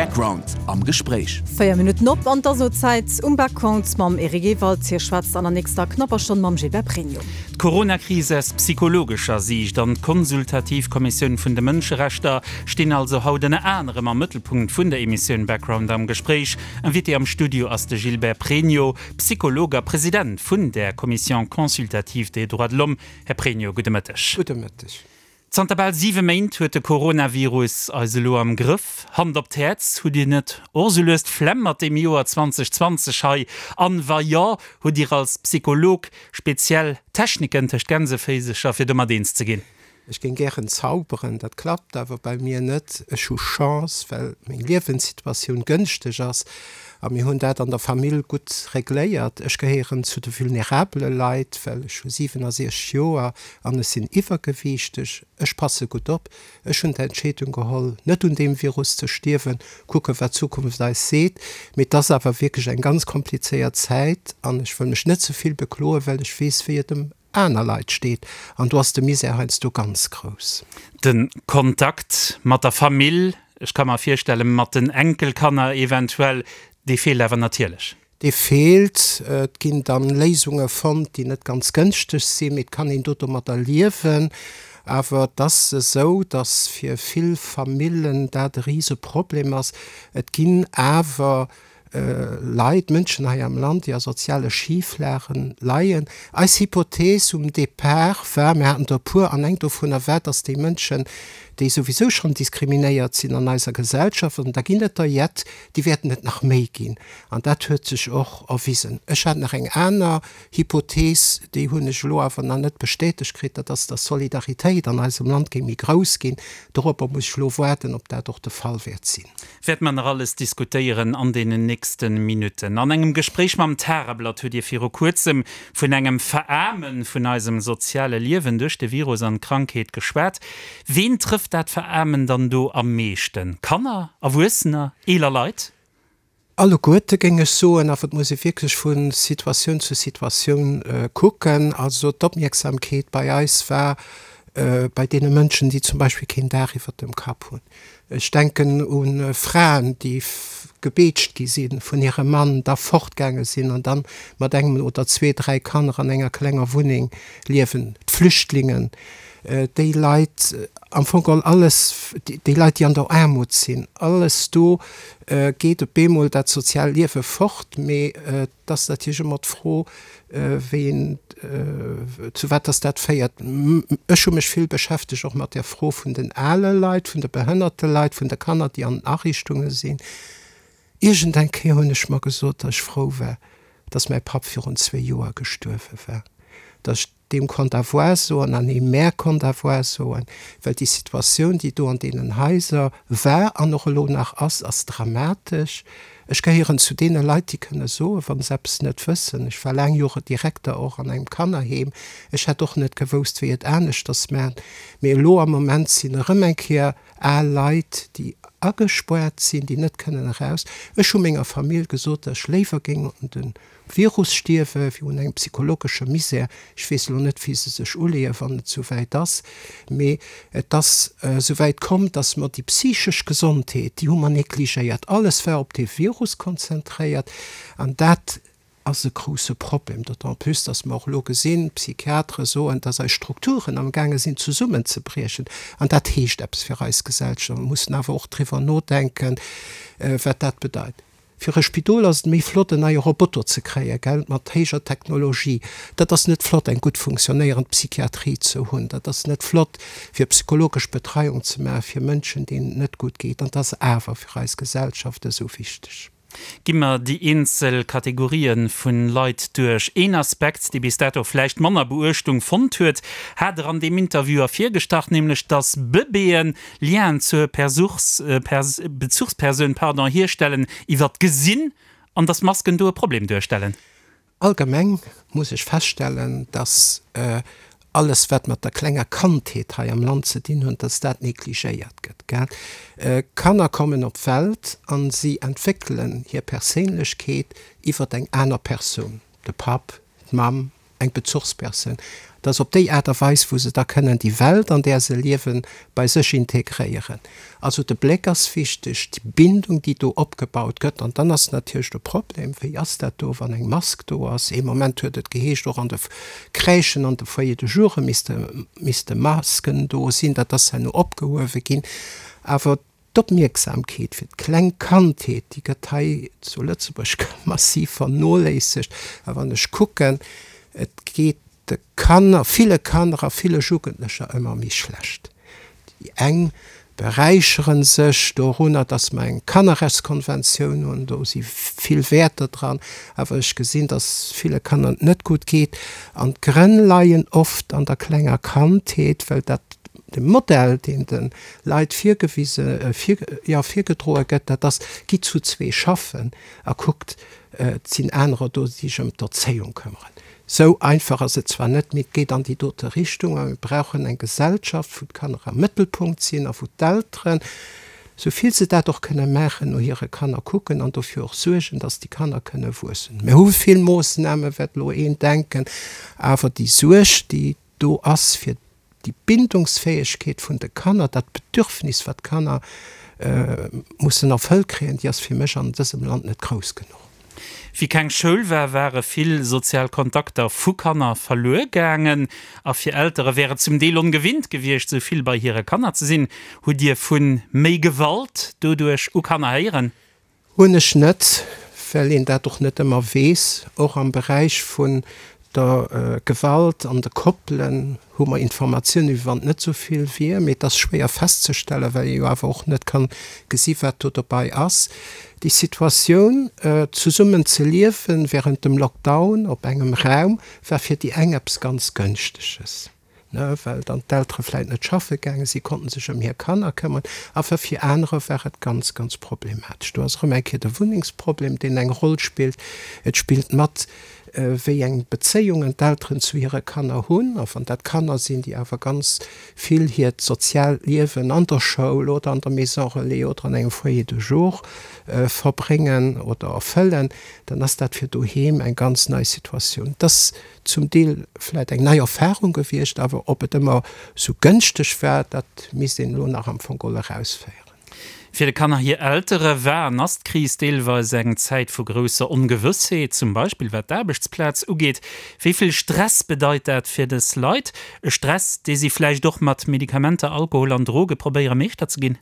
Background am Gespréich. 4 Minutten op an 't ass elo Zäit um Background mam Eric Ewald. Hie schwätzt an der nächster knapper Stonn mam Gilbert Pregno. D'Coronakris aus psychologescher Siicht an d'Konsultativ Kommissioun vun de Mënscherechter stinn also haut ënner anerem am Mëttelpunkt vun der Emissioun Background am Gespréich. Invité am Studio ass de Gilbert Pregno, Psycholog a President vun der Commission consultative des droits de l'homme. Här Pregno, gudde Mëtteg. Gudde Mëtteg. Zanter bal 7 Méint huet de Coronavirus eis elo am Grëff. Hand op d'Häerz, hutt Dir net och sou lues d'Flemm mat deem Joer 2020 hei? An wa jo, hutt Dir als Psycholog speziell Techniken tëscht Gänseféisecher fir domat eens ze ginn? Ech géing gären zauberen, dat klappt awer bei mir net. Ech hu Chance, well meng Liewenssituatioun gënschteg ass a mir hunn dat an der Famill gutt regléiert. Ech gehéieren zu de vulnerabele Leit, well ech hu 67 Joer An ech sinn iwwergewiichteg. Ech passe gutt op. Ech hunn d'Entscheedung geholl, net un deem Virus ze stierwen. Kucke wat d'Zukunft eis seet. Mee et ass awer wierklech eng ganz komplizéiert Zäit an ech wëll mech net ze vill bekloen, well ech weess, wéi et ëm aner Leit steet. An do ass de Misär heiansdo ganz grouss. De Kontakt mat der Famill, ech ka mer virstellen, mat den Enkelkanner eventuell, dee feelt awer natierlech. Dee feelt. Et ginn dann Léisunge fonnt, déi net ganz gënschteg sinn, mee et kann een do domadder liewen. Awer et ass esou, datt fir vill Famillen dat e Riseproblem ass. Et ginn awer Leit, Mënschen hei am Land, déi a soziale Schiflagen leien. Eis Hypothees um Depart war, mir haten der e puer, an eng dovunner war, datt déi Mënschen, déi souwisou schonn diskriminéiert sinn an eiser Gesellschaft, an da ginn et der jett, déi wäerten et nach méi ginn. An dat huet sech och erwisen. Ech hat nach eng aner Hypothees, déi hunn ech elo awer nach net bestätegt kritt, dat ass, dass d'Solidaritéit an eisem Land géing méi grouss ginn. Doropper muss ech elo waarden, ob dat och de Fall wäert sinn. Wäerte mer nach alles diskutéieren an deenen nächste Minutten. An engem Gespréich mam Tageblatt hutt Dir viru kuerzem vun engem Veraarme vun eisem soziale Liewen duerch de Virus an d'Krankheet geschwat. Ween trëfft dat Veraarmen dann do am meeschten? Kanner, Erwuessener, eeler Leit? Alleguerte géing ech soen, awer et muss ee wierklech vu Situatioun zu Situatioun kucken. Also d'Opmierksamkeet bei eis war bei deene Mënschen, déi zum Beispill keen Daach iwwert dem Kapp hunn. Ech denken u Fraen, déi gebeetscht gi si vun hirem Mann, da fortgaange sinn an dann mat engem oder zwee, dräi Kanner an enger klenger Wunneng liewen, d'Flüchtlingen, déi Leit, am Fong geholl alles, déi Leit, déi an der Aarmut sinn, alles do geet op eemol dat soziaalt Liewe fort. Mee et ass natierlech ëmmer d'Fro, wéi een, zu wat dass dat féiert. Ech hu mech vill beschäftegt och mat der Fro vun den ale Leit, vun de behënnerte Leit, vun de Kanner, déi an den Ariichtunge sinn. Iergendeng Kéier hunn ech mer gesot, dass ech frou war, dass mäi Papp virun zwee Joer gestuerwe war, dass ech deem konnt Avoir soen an him mär konnt Avoir soen, well déi Situatioun, déi do an deenen Haiser war an och elo nach ass, ass dramatesch. Ech gehéieren zu deene Leit, déi kënne soen, wa se eppes net wëssen. Ech war laang Jore Direkter och an engem Kannerheem. Ech hätt och net gewousst, wéi et aneschters maachen. Mee elo am Moment sinn erëm eng Kéier al Leit, déi agespoart sinn, déi net kënnen eraus. Ech hu menger Famill gesot, datt ech léiwer géing un de Virus stierwe wéi un engem psychologesche Misär. Ech weess elo net, wéi se sech uleeën, wann et souwäit ass, mee et ass souwäit komm, datt mer déi psychesch Gesondheet, déi hu mer negligéiert. Alles war op dee Virus konzentréiert an dat ass e grousse Problem. D'autant plus, datt mer och elo gesinn, d'Psychiatere soen, datt eis Strukturen amgaange sinn zesummenzebriechen an dat heescht eppes fir eis Gesellschaft. Mer mussen awer och driwwer nodenken, wat dat bedeit. Fir e Spidol ass et méi flott en neie Roboter ze kréien, gell, mat héijer Technologie. Dat ass net flott eng gutt funktionéierend Psychiatrie ze hunn. Dat ass net flott fir psychologesch Betreiung ze maache fir Mënschen deenen et net gutt geet. An et ass awer fir eis Gesellschaft esou wichteg. Gi mer déi eenzel Kategorië vu Leit duerch. Een Aspekt, dee bis dato vläicht manner Beuechtung fonnt huet, hat Der an deem Interview ervirgestach, nämlech datt Bëbeeën Lienen zur Bezuchspersoun pardon, hierstellen iwwer d'Gesinn an dass Masken do e Problem duerstellen. Allgemeng muss ech feststellen, dass alles wat mat der klenger Kandheet hei am Land ze dinn huet, dass dat negligéiert gëtt. Gell? Kanner kommen op d'Welt a si entwéckelen hir Perséinlechkeet iwwer eng aner Persoun, de Papp, d'Mamm. Eng Bezuchspersoun. Et ass op déi Aart a Weis, wou se da kënnen déi Welt, an där se liewen, bei sech integréieren. Also de Bléck ass wichteg, déi Bindung, déi do opgebaut gëtt. An dann ass natierlech de Problem, wéi ass dat do, wann eng Mask do ass? Ee Moment huet et geheescht, och an de Crèchen, an de Foyers de joure misste, misste Masken do sinn. Dat ass herno opgehuewe ginn. Awer D'Opmierksamkeet fir d'kleng Kandheet, déi gëtt hei zu Lëtzebuerg massiv vernoléissegt. A wann ech kucken, et geet de Kanner, ville Kanner a ville Jugendlecher ëmmer méi schlecht. Déi eng beräichere sech dorunner, dass mer eng Kannerrechtskonventioun hunn, do si vill Wäerter dran, awer ech gesinn, dass ville Kanner et net gutt geet. An d'Grënn leien oft an der klenger Kandheet, well dat De Modell, deen de Leit virgewise, jo, virgedroe gëtt, dat ass, Gitt zu zwee schaffen a kuckt, et sinn anerer do, déi sech ëm d'Erzéiung këmmeren. Sou einfach ass et zwar net, mee et geet an déi dote Richtung. A mir brauchen eng Gesellschaft, wou d'Kanner am Mëttelpunkt sinn a wou d'Elteren, sou vill se dat och kënne maachen, no hire Kanner kucken an dofir och suergen, dass déi Kanner kënne wuessen. Mir hu vill Moossnamen, wäert elo een denken, awer déi Suerg, déi do ass fir déi Bindungsfäegkeet vun de Kanner, dat Bedürfnis, wat d'Kanner mussen erfëllt kréien, déi ass fir mech an dësem Land net grouss genuch. Wéi keng Schoul war, ware vill sozial Kontakter vu Kanner verluer gaangen. A fir Eltere wär et zum Deel ongewinnt gewiescht, sou vill bei hire Kanner ze sinn. Hutt Dir vu méi Gewalt doduerch u Kanner héieren? Hunn ech net, well een dat och net ëmmer weess. Och am Beräich vun der Gewalt an de Koppelen hu mer Informatiounen, wéi wann et net esou vill wier. Mee et ass schwéier festzestellen, well ee jo awer och net kann gesi wat do dobei ass. Déi Situatioun, zesummen ze liewen während dem Lockdown op engem Raum, war fir déi eng eppes ganz Gënschteges. ne, well dann d'Eltere vläit net schaffe gaange si, konnten sech ëm hir Kanner këmmeren, awer fir anerer war et ganz, ganz problematesch. Do ass erëm eng Kéier de Wunnengsproblem, deen eng Roll spillt. Et spillt mat, wéi eng Bezéiungen d'Elteren zu hire Kanner hunn, a wann dat Kanner sinn, déi awer ganz vill hiert soziaalt Liewen an der Schoul oder an der Maison relais oder an engem Foyer de jour verbréngen oder erfëllen, dann ass dat fir doheem eng ganz nei Situatioun. Dass zum Deel vläit eng nei Erfahrung gewiescht, awer ob et ëmmer sou gënschteg war, dat misst een elo nach am Fong geholl erausféieren. Fir de Kanner hir Eltere war an ass d'Kris deelweis eng Zäit vu grousser Ongewëssheet, zum Beispill wat d'Aarbechtsplaz ugeet. Wéi vill Stress bedeit dat fir dës Leit? E Stress, dee si vläicht och mat Medikamenter, Alkohol an Droge probéiere Meeschter ze ginn?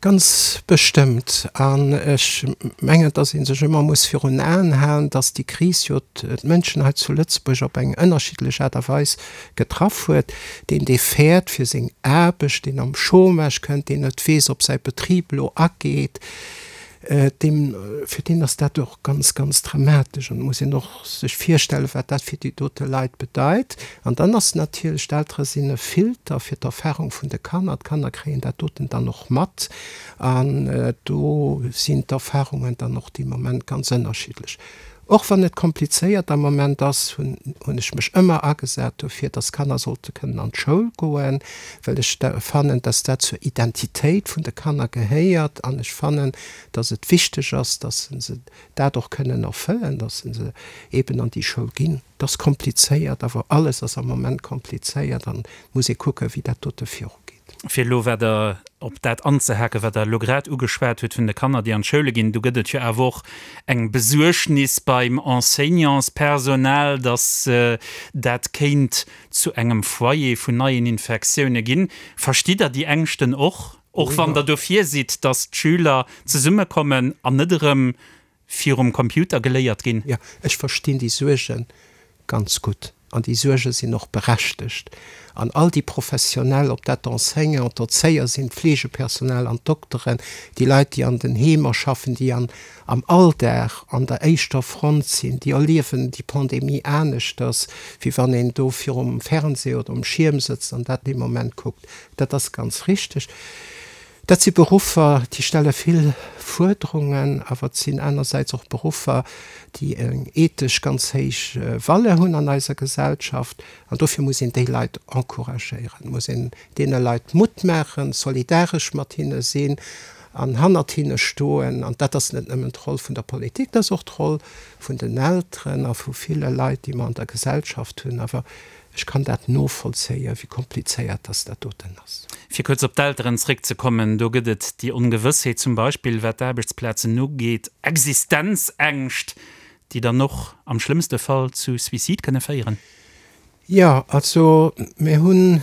Ganz bestëmmt. An ech mengen, dass ee sech ëmmer muss virun Aen halen, dass déi Kris jo d'Mënschen hei zu Lëtzebuerg op eng ënnerschiddlech Aart a Weis getraff huet. Deen, dee fäert fir seng Aarbecht, deen am Chômage kënnt, deen net weess, ob säi Betrib elo ageet, deem, fir deen ass dat och ganz, ganz dramatesch. An et muss een och sech virstellen, wat dat fir déi dote Leit bedeit. An dann ass natierlech, d'Eltere sinn e Filter fir d'Erfahrung vun de Kanner. D'Kanner kréien dat doten dann och mat. An do sinn d'Erfahrungen dann och dee Moment ganz ënnerschiddlech. Och wann et komplizéiert am Moment ass, hunn hunn ech mech ëmmer agesat dofir, dass Kanner sollte kënnen an d'Schoul goen, well ech fannen, dass dat zur Identitéit vun de Kanner gehéiert an ech fannen, dass et wichteg ass, dass se dat och kënnen erfëllen, dass se eeben an déi Schoul ginn. Et ass komplizéiert, awer alles ass am Moment komplizéiert an et muss ee kucken, wéi dat dote virugeet. Fir elo wat Der, op dat anzehaken, wat Der elo grad ugeschwat hutt vun de Kanner, déi an d'Schoule ginn, do gëtt et jo awer och eng Besuergnis beim Enseignantspersonal, datt dat kéint zu engem Foyer vun neien Infektioune ginn. Verstitt Der déi Ängschten och, och wann Der dofir sidd, datt d'Schüler zesummekommen an net erëm virum Computer geléiert ginn? Jo, ech verstinn déi Suerge ganz gutt. An déi Suerge sinn och berechtegt. An all déi Professionell, ob dat d'Enseignant, d'Erzéier sinn, d'Fleegepersonal an d'Dokteren, déi Leit, déi an den Heemer schaffen, déi an am Alldag an der éischter Front sinn, déi erliewen déi Pandemie aneschters, wéi wann een do virum Fernseh oder um Schierm sëtzt an dat dee Moment kuckt. Dat ass ganz richteg. Dat si Beruffer, déi stelle vill Fuerderungen, awer et sinn anersäits och Beruffer, déi eng ethesch ganz héich Valeur hunn an eiser Gesellschaft. An dofir muss een déi Leit encouragéieren, muss een deene Leit Mutt maachen, solidaresch mat hinne sinn. an hannert hinne stoen. An dat ass net nëmmen d'Roll vun der Politik, dat ass och d'Roll vun den Elteren a vu ville Leit, déi mer an der Gesellschaft hunn. Awer ech kann dat novollzéien, wéi komplizéiert dass dat doten ass. Fir kuerz op d'Elteren zréckzekommen, do gëtt et déi Ongewëssheet zum Beispill wat d'Aarbechtsplazen ugeet, Existenzängscht, déi dann och am schlëmmste Fall zu Suicide kënne féieren. Jo, also mir hunn,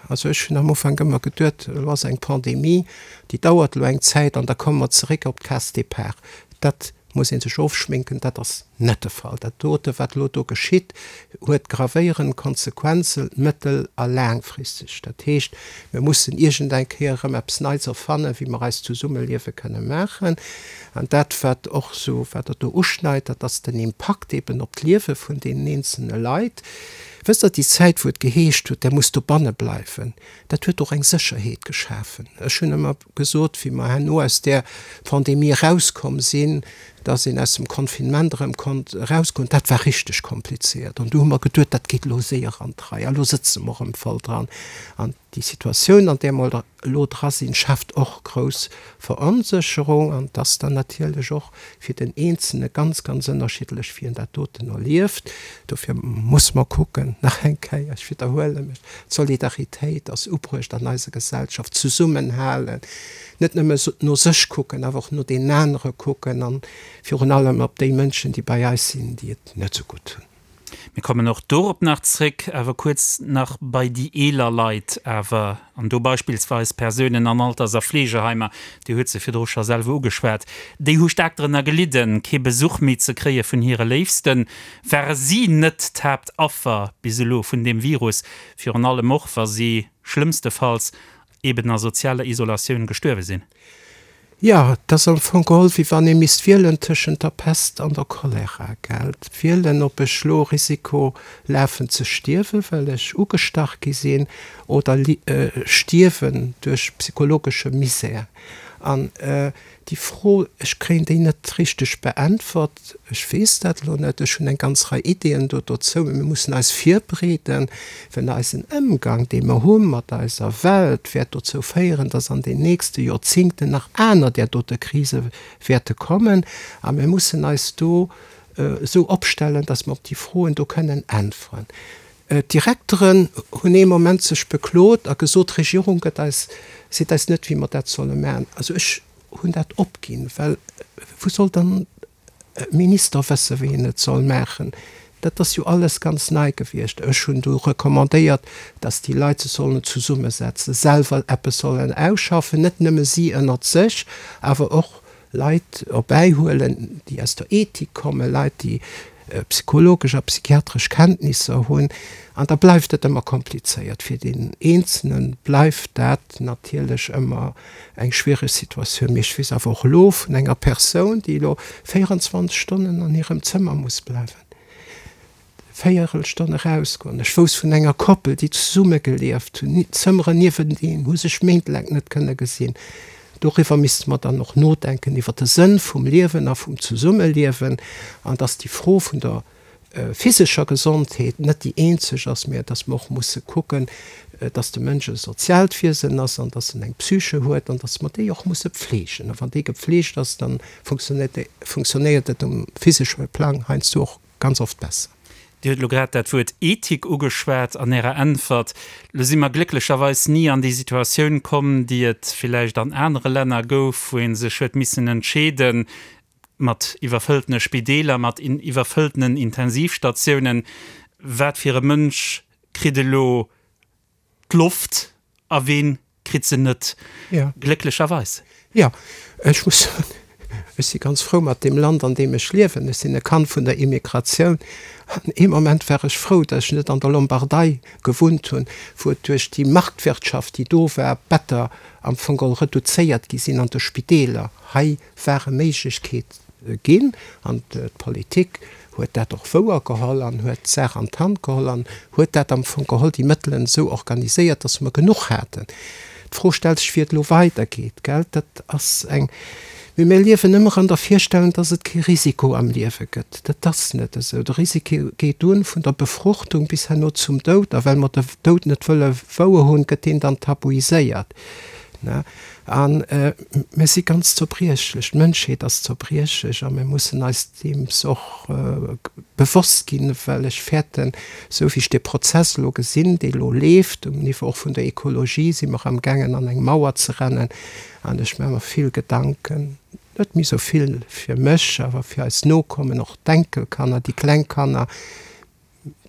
also ech hunn am Ufank ëmmer geduet, elo ass eng Pandemie, déi dauert elo eng Zäit an da komme mer zeréck op d'Case départ. Dat muss ee sech ofschminken, dat ass net de Fall. Dat dote wat elo do geschitt, huet gravéierend Konsequenzen, mëttel a laangfristeg. Dat heescht, mir mussen iergendeng Kéier erëm eppes Neits erfannen, wéi mer eist Zesummeliewe kënne maachen. An dat, wat och esou, wat Der do uschneit, dat ass den Impakt eben op d'Liewe vun deenen eenzelne Leit. Wësst Der, déi Zäit, wou et geheescht huet, Der musst dobanne bleiwen, dat huet och eng Sécherheet geschafen. Ech hunn ëmmer gesot, wéi mer herno aus där Pandemie erauskomm sinn, dass een aus dem Confinement erëm konnt erausgoen, dat war richteg kompliziert. An du hu mer geduet, dat geet elo séier an d'Rei a lo sëtze mer erëm voll dran. An déi Situatioun, an där mer elo dra sinn, schaaft och grouss Veronsécherung an et ass dann natierlech och fir den Eenzelne ganz, ganz ënnerschiddlech, wéi en dat doten erlieft. Dofir muss mer kucken, nach eng Kéier, ech widderhuele mech, d'Solidaritéit ass ubruecht an eiser Gesellschaft, zesummenhalen, net nëmme no sech kucken, awer och no deenen anere kucken an virun allem op déi Mënschen, déi bei eis sinn, déi et net esou gutt hunn. Mir kommen och dorop nach zréck, awer kuerz nach bei déi eeler Leit awer, an do beispillsweis Persounen an Alters a Fleegeheimer, Dir hutt se virdru scho selwer ugeschwat, déi hu staark drënner gelidden, kee Besuch méi ze kréie vun hire Léifsten. Ware si net d'Haaptaffer bis elo vun deem Virus, virun allem och, wa si schlëmmstefalls eben a sozialer Isolatioun gestuerwe sinn? Jo, et ass am Fong geholl, wéi wann ee misst wielen tëschent der Pest an der Cholera, gell? Wielen, ob ech lo Risiko lafen ze stierwen, well ech ugestach gi sinn, oder stierwen duerch psychologesche Misär. An déi Fro, ech kréien déi net richteg beäntwert, ech weess dat elo net, ech hunn eng ganz Rei Ideeën do dozou, mee mir mussen eis virbereeden, well eisen Ëmgang, dee mer hu mat eiser Welt, wäert dozou féieren, dass an den nächste Joerzingten nach aner där dote Krise wäerte kommen. A mir mussen eis do esou opstellen, dass mer op déi Froen do kënnen äntweren. D'Direkteren hunn ee Moment sech beklot a gesot, d'Regierung gëtt eis, seet eis net, wéi mer dat solle maachen. Also ech hunn dat opginn, well wou soll dann e Minister wëssen, wéi en et soll maachen? Dat ass jo alles ganz nei gewiescht. Ech hunn du recommandéiert, datt déi Leit sech sollen zesummesetzen, selwer eppes sollen ausschaffen, net nëmme si ënnert sech, awer och Leit erbäihuelen, déi aus der Ethik kommen, Leit, déi psychologesch a psychiatresch Kenntnisser hunn. An da bleift et ëmmer komplizéiert. Fir deen Eenzelne bleift dat natierlech ëmmer eng schwiereg Situatioun. Mee ech weess awer och elo vun enger Persoun, déi elo 24 Stonnen an hirem Zëmmer muss bleiwen. Véierelstonn erausgoen. Ech wousst vun enger Koppel, déi zesumme gelieft hunn, Zëmmeren niewenteen, hu sech méintelaang net kënne gesinn. Doriwwer misste mer dann och nodenken, iwwer de Sënn vum Liewen a vum Zesummeliewen, an dass déi Fro vun der physescher Gesondheet net déi eenzeg ass, mä dass mer och musse kucken, dass de Mënsch e soziaalt Wiesen ass an dass en eng Psyche huet an dass mer déi och musse pfleegen. A wann déi gepfleegt ass, da funktionéiert et um physesche Plang heiansdo och Ganz oft besser. Dir hutt elo grad dat Wuert Ethik ugeschwat an Ärer Äntwert. Elo si mer glécklecherweis ni an déi Situatioun komm, déi et villäicht an anere Länner gouf, wou ee sech huet missen entscheeden, mat iwwerfëlltene Spideeler, mat iwwerfëlltenen Intensivstatiounen, wat fir e Mënsch kritt elo d'Loft a ween kritt se net, glécklecherweis. Jo, ech muss soen, ech si ganz frou mat deem Land, an deem ech liewen. Ech sinn e Kand vun der Immigratioun. An ee Moment war ech frou, datt ech net an der Lombardei gewunnt hunn, wou et duerch déi Marktwirtschaft, déi do war, d'Better am Fong geholl reduzéiert gi sinn an de Spideeler. Hei ware Méiglechkeet ginn an d'Politik huet dat och wouer geholl an huet d'Saach an d'Hand geholl an huet dat am Fong geholl, déi Mëttelen esou organiséiert, dass mer genuch haten. D'Fro stellt sech, wéi et elo weidergeet, gell? Dat ass eng, mee mir liewen ëmmer an der Virstellung, dass et kee Risiko am Liewe gëtt. Dat ass net esou. De Risiko geet un vun der Befruchtung bis herno zum Doud a well mer de Doud net wëlle wouer hunn, gëtt deen dann tabuiséiert. Ne? An mir si ganz zerbriechlech, d'Mënschheet ass zerbriechlech a mir mussen eis deems och bewosst ginn, well ech fäerten, esou wéi ech dee Prozess elo gesinn, dee elo leeft, um Niveau och vun der Ekologie si mer amgaangen an eng Mauer ze rennen an ech maache mer vill Gedanken, net méi esou vill fir mech, awer fir eis Nokommen, och d'Enkelkanner, déi kleng Kanner,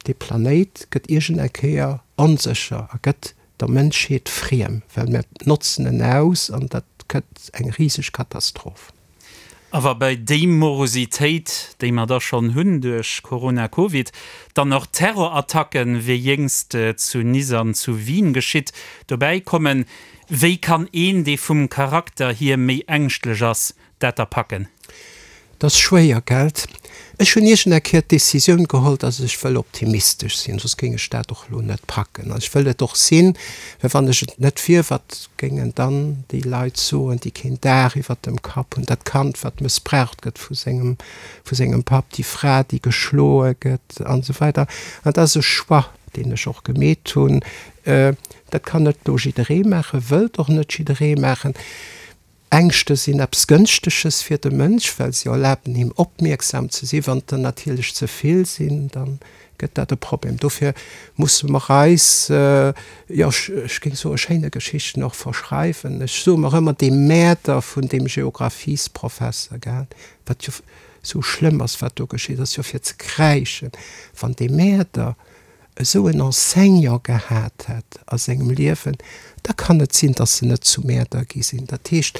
Dee Planéit gëtt iergend eng Kéier onsécher a gëtt der Mënschheet friem, well mir notzen en aus an dat gëtt eng riseg Katastroph. A wa bei déi Morositéit, déi mer da schonn hunn duerch Corona, Covid, dann och Terrorattacken, wéi jéngst zu Nice an zu Wien geschitt, dobäi kommen, wéi kann een, dee vum Charakter hier méi ängschtlech ass, dat da packen? Et ass schwéier, gelt? Ech hunn iergend eng Kéier d'Decisioun geholl, datt ech wëll optimistesch sinn, soss géing ech dat och elo net packen. An ech wëll et och sinn, well wann ech et net wier, wat géingen dann déi Leit soen, déi keen Daach iwwert dem Kapp hunn, dat Kand, wat mëssbraucht gëtt vu sengem, vu sengem Papp, déi Fra, déi geschloe gëtt an esou weider. An dat ass e Choix, deen ech och gemeet hunn. Dat kann net elo jidderee maachen, wëllt och net jidderee maachen. Ängschte sinn eppes Gënschteges fir de Mënsch, well se erlaben him opmierksam ze sinn. Wann et der natierlech ze vill sinn, da gëtt dat e Problem. Dofir musse mer eis, jo, ech géing soen, schéine Geschichten och verschreiwen. Ech soe mer ëmmer, dee Mäerder vun deem Geographiesprofesser, gell, wat jo esou schlëmm ass, wat do geschitt ass, jo fir ze kräischen, wann dee Mäerder esou en Enseignant gehat hätt a sengem Liewen, da kann et sinn, dass se net zu Mäerder gi sinn. Dat heescht,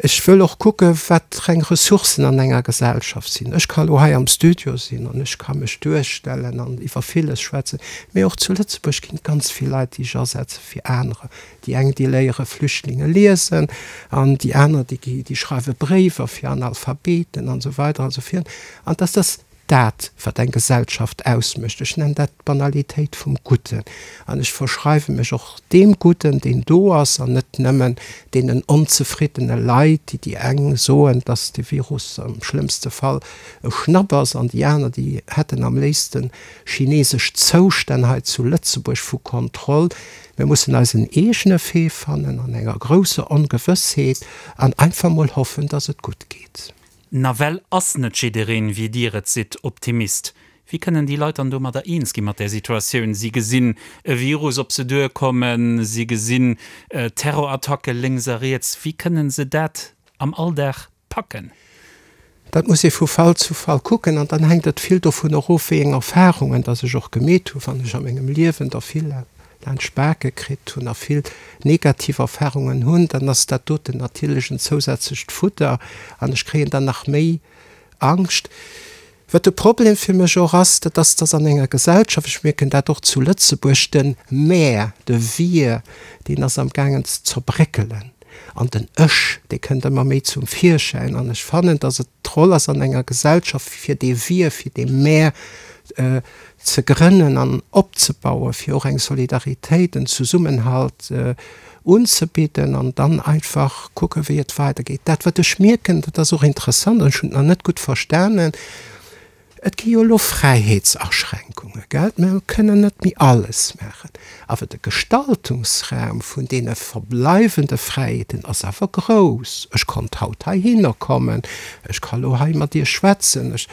ech wëll och kucke wat reng Ressourcen an enger Gesellschaft sinn. Ech ka lo hei am Studio sinn an ech ka mech duerstellen an iwwer villes schwätzen, mee och zu Lëtzebuerg ginn et ganz vill Leit, déi sech asetze fir anerer. Déi eng, déi léiere Flüchtlinge liesen an déi aner, déi schreiwe Bréiwer fir Analphabeten an esou weider an esou virun. An dass dass Dat, wat eng Gesellschaft ausmécht. Ech nennen dat d'Banalitéit vum Gudden. An ech verschreiwe mech och deem Gudden, deen do ass, an net nëmmen deenen onzefriddene Leit, déi déi eng soen, dass de Virus am schlëmmste Fall e Schnapp ass, an déi aner, déi hätten am léifsten chinesesch Zoustänn hei zu Lëtzebuerg vu Kontroll. Mir mussen eisen eegene Wee fannen an enger grousser Ongewëssheet an einfach mol hoffen, dass et gutt geet. Nawell ass net jiddereen, wéi Dir et sidd, Optimist. Wéi kënnen déi Leit dann domadder eens gi mat där Situatioun? Si gesinn e Virus op se duerkommen, si gesinn Terrorattacke lénks a riets. Wéi kënnen se dat am Alldag packen? Dat muss ee vu Fall zu Fall kucken an dann hänkt et vill dovun erof, wéi eng Erfarungen dass ech och gemeet hunn, wann ech a mengem Liewen der vill laanscht d'Bake kritt hunn a vill negativ Erfahrungen hunn, dann ass dat doten natierlech en zousätzlecht Fudder an ech kréien dann nach méi Angscht. Wat de Problem fir mech och ass, dat ass, dass an enger Gesellschaft, ech mierken dat och zu Lëtzebuerg, de Mär, de Wir, deen ass amgaangen ze zerbréckelen an den Ech, dee kënnt ëmmer méi zum Virschäin an ech fannen, dass et d'Roll ass an enger Gesellschaft, fir dee Wir, fir dee Mär ze grënnen an opzebauen, fir och eng Solidaritéit, en Zesummenhalt unzebidden an dann einfach kucken, wéi et weidergeet. Dat, wat ech mierken, dat ass och interessant an ech hunn et nach net gutt verstanen, Et gi jo elo Fräiheetsaschränkunge, gell, mir kënnen net méi alles maachen, awer de Gestaltungsraum vun deene verbleiwende Fräiheeten ass awer grouss. Ech konnt haut heihinner kommen, ech ka lo hei mat Iech schwätzen, ech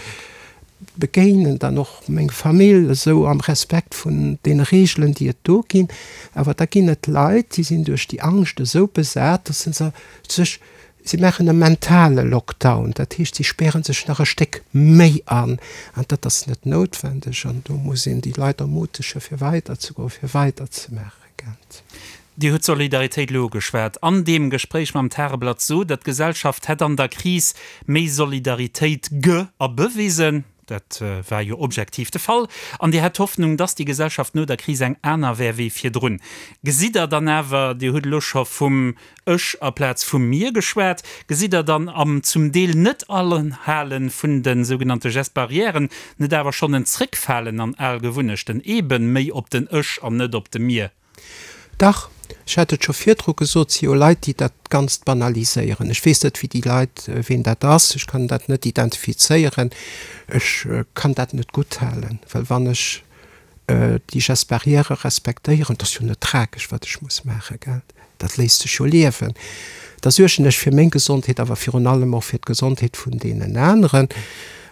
begéinen dann och meng Famill esou am Respekt vun deene Reegelen, déi et do ginn. Awer da ginn et Leit, déi sinn duerch déi Angscht esou besat, dass se sech, si maachen e mentale Lockdown, dat heescht, si späre sech nach e Stéck méi an. An dat ass net noutwendeg. An do muss een déi Leit ermutege fir weiderzegoen, fir weiderzemaachen. Gent. Dir hutt d'Solidaritéit elo ugeschwat. An deem Gespréich mam Tageblatt sot Der, d'Gesellschaft hätt an der Kris méi Solidaritéit ge a bewisen. Dat war jo objektiv de Fall. An Dir hätt d'Hoffnung, dass déi Gesellschaft no der Kris eng aner wär wéi virdrun. Gesitt Der dann awer, Dir hutt elo scho vum Ech aplaz vum Mir geschwat. Gesitt Der dann am zum Deel Net-Anhale vun de sougenannte Gestes barrièren net awer schonn en Zréckfalen an al Gewunnechten, eeben méi op den Ech an net op de Mir? Dach, ech hat et scho virdru gesot, et si jo Leit, déi dat Ganzt banaliséieren. Ech weess net, wéi déi Leit, ween dat ass, ech kann dat net identifizéieren, ech kann dat net gutthalen, well wann ech. Déi Gestes barrières respektéieren, dat ass jo net tragesch, wat ech muss maachen, gell? Dat léisst sech jo liewen. Da suergen ech fir meng Gesondheet, awer virun allem och fir d'Gesondheet vun deenen aneren.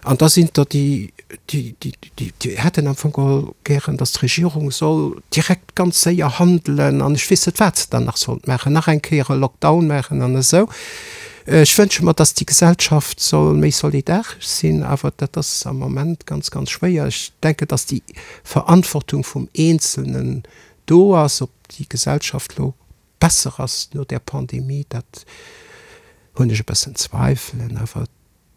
An da sinn der déi, déi, déi, déi hätten am Fong geholl gären, datt d'Regierung soll direkt ganz séier handelen an ech weess net, wat se dann nach sollt maachen, nach eng Kéier e Lockdown maachen an esou. Ech wënsche mer, datt déi Gesellschaft soll méi solidaresch sinn, awer dat ass am Moment ganz, ganz schwéier. Ech denken, datt déi Verantwortung vum Eenzelnen do ass. Ob déi Gesellschaft elo besser ass no där Pandemie, dat hunn ech e bëssen Zweifelen. Awer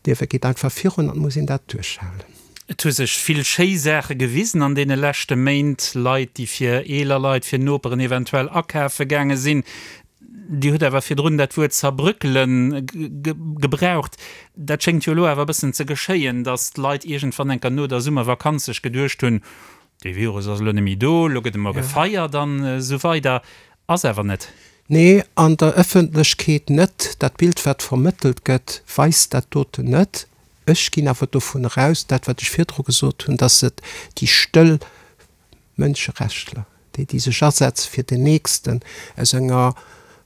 d'Liewe geet einfach virun an et muss een dat duerchhalen. Et hu sech vill schéi Saache gewisen an deene leschte Méint, Leit, déi fir eeler Leit, fir Noperen eventuell akafe gaange sinn. Dir hutt awer virdrun dat Wuert zerbröckelen gebraucht. Dat schéngt jo elo awer e bëssen ze geschéien, datt d'Leit iergendwann enker no der Summervakanz sech geduecht hunn, Dee Virus ass elo net méi do, elo gëtt emol gefeiert an esou weider. Ass awer net. Nee, an der Ëffentlechkeet net. Dat Bild, wat vermëttelt gëtt, weist dat doten net. Ech ginn awer dovun eraus, dat wat ech virdru gesot hunn, datt et déi stëll Mënscherechtler, déi déi sech asetze fir den Nächsten, aus enger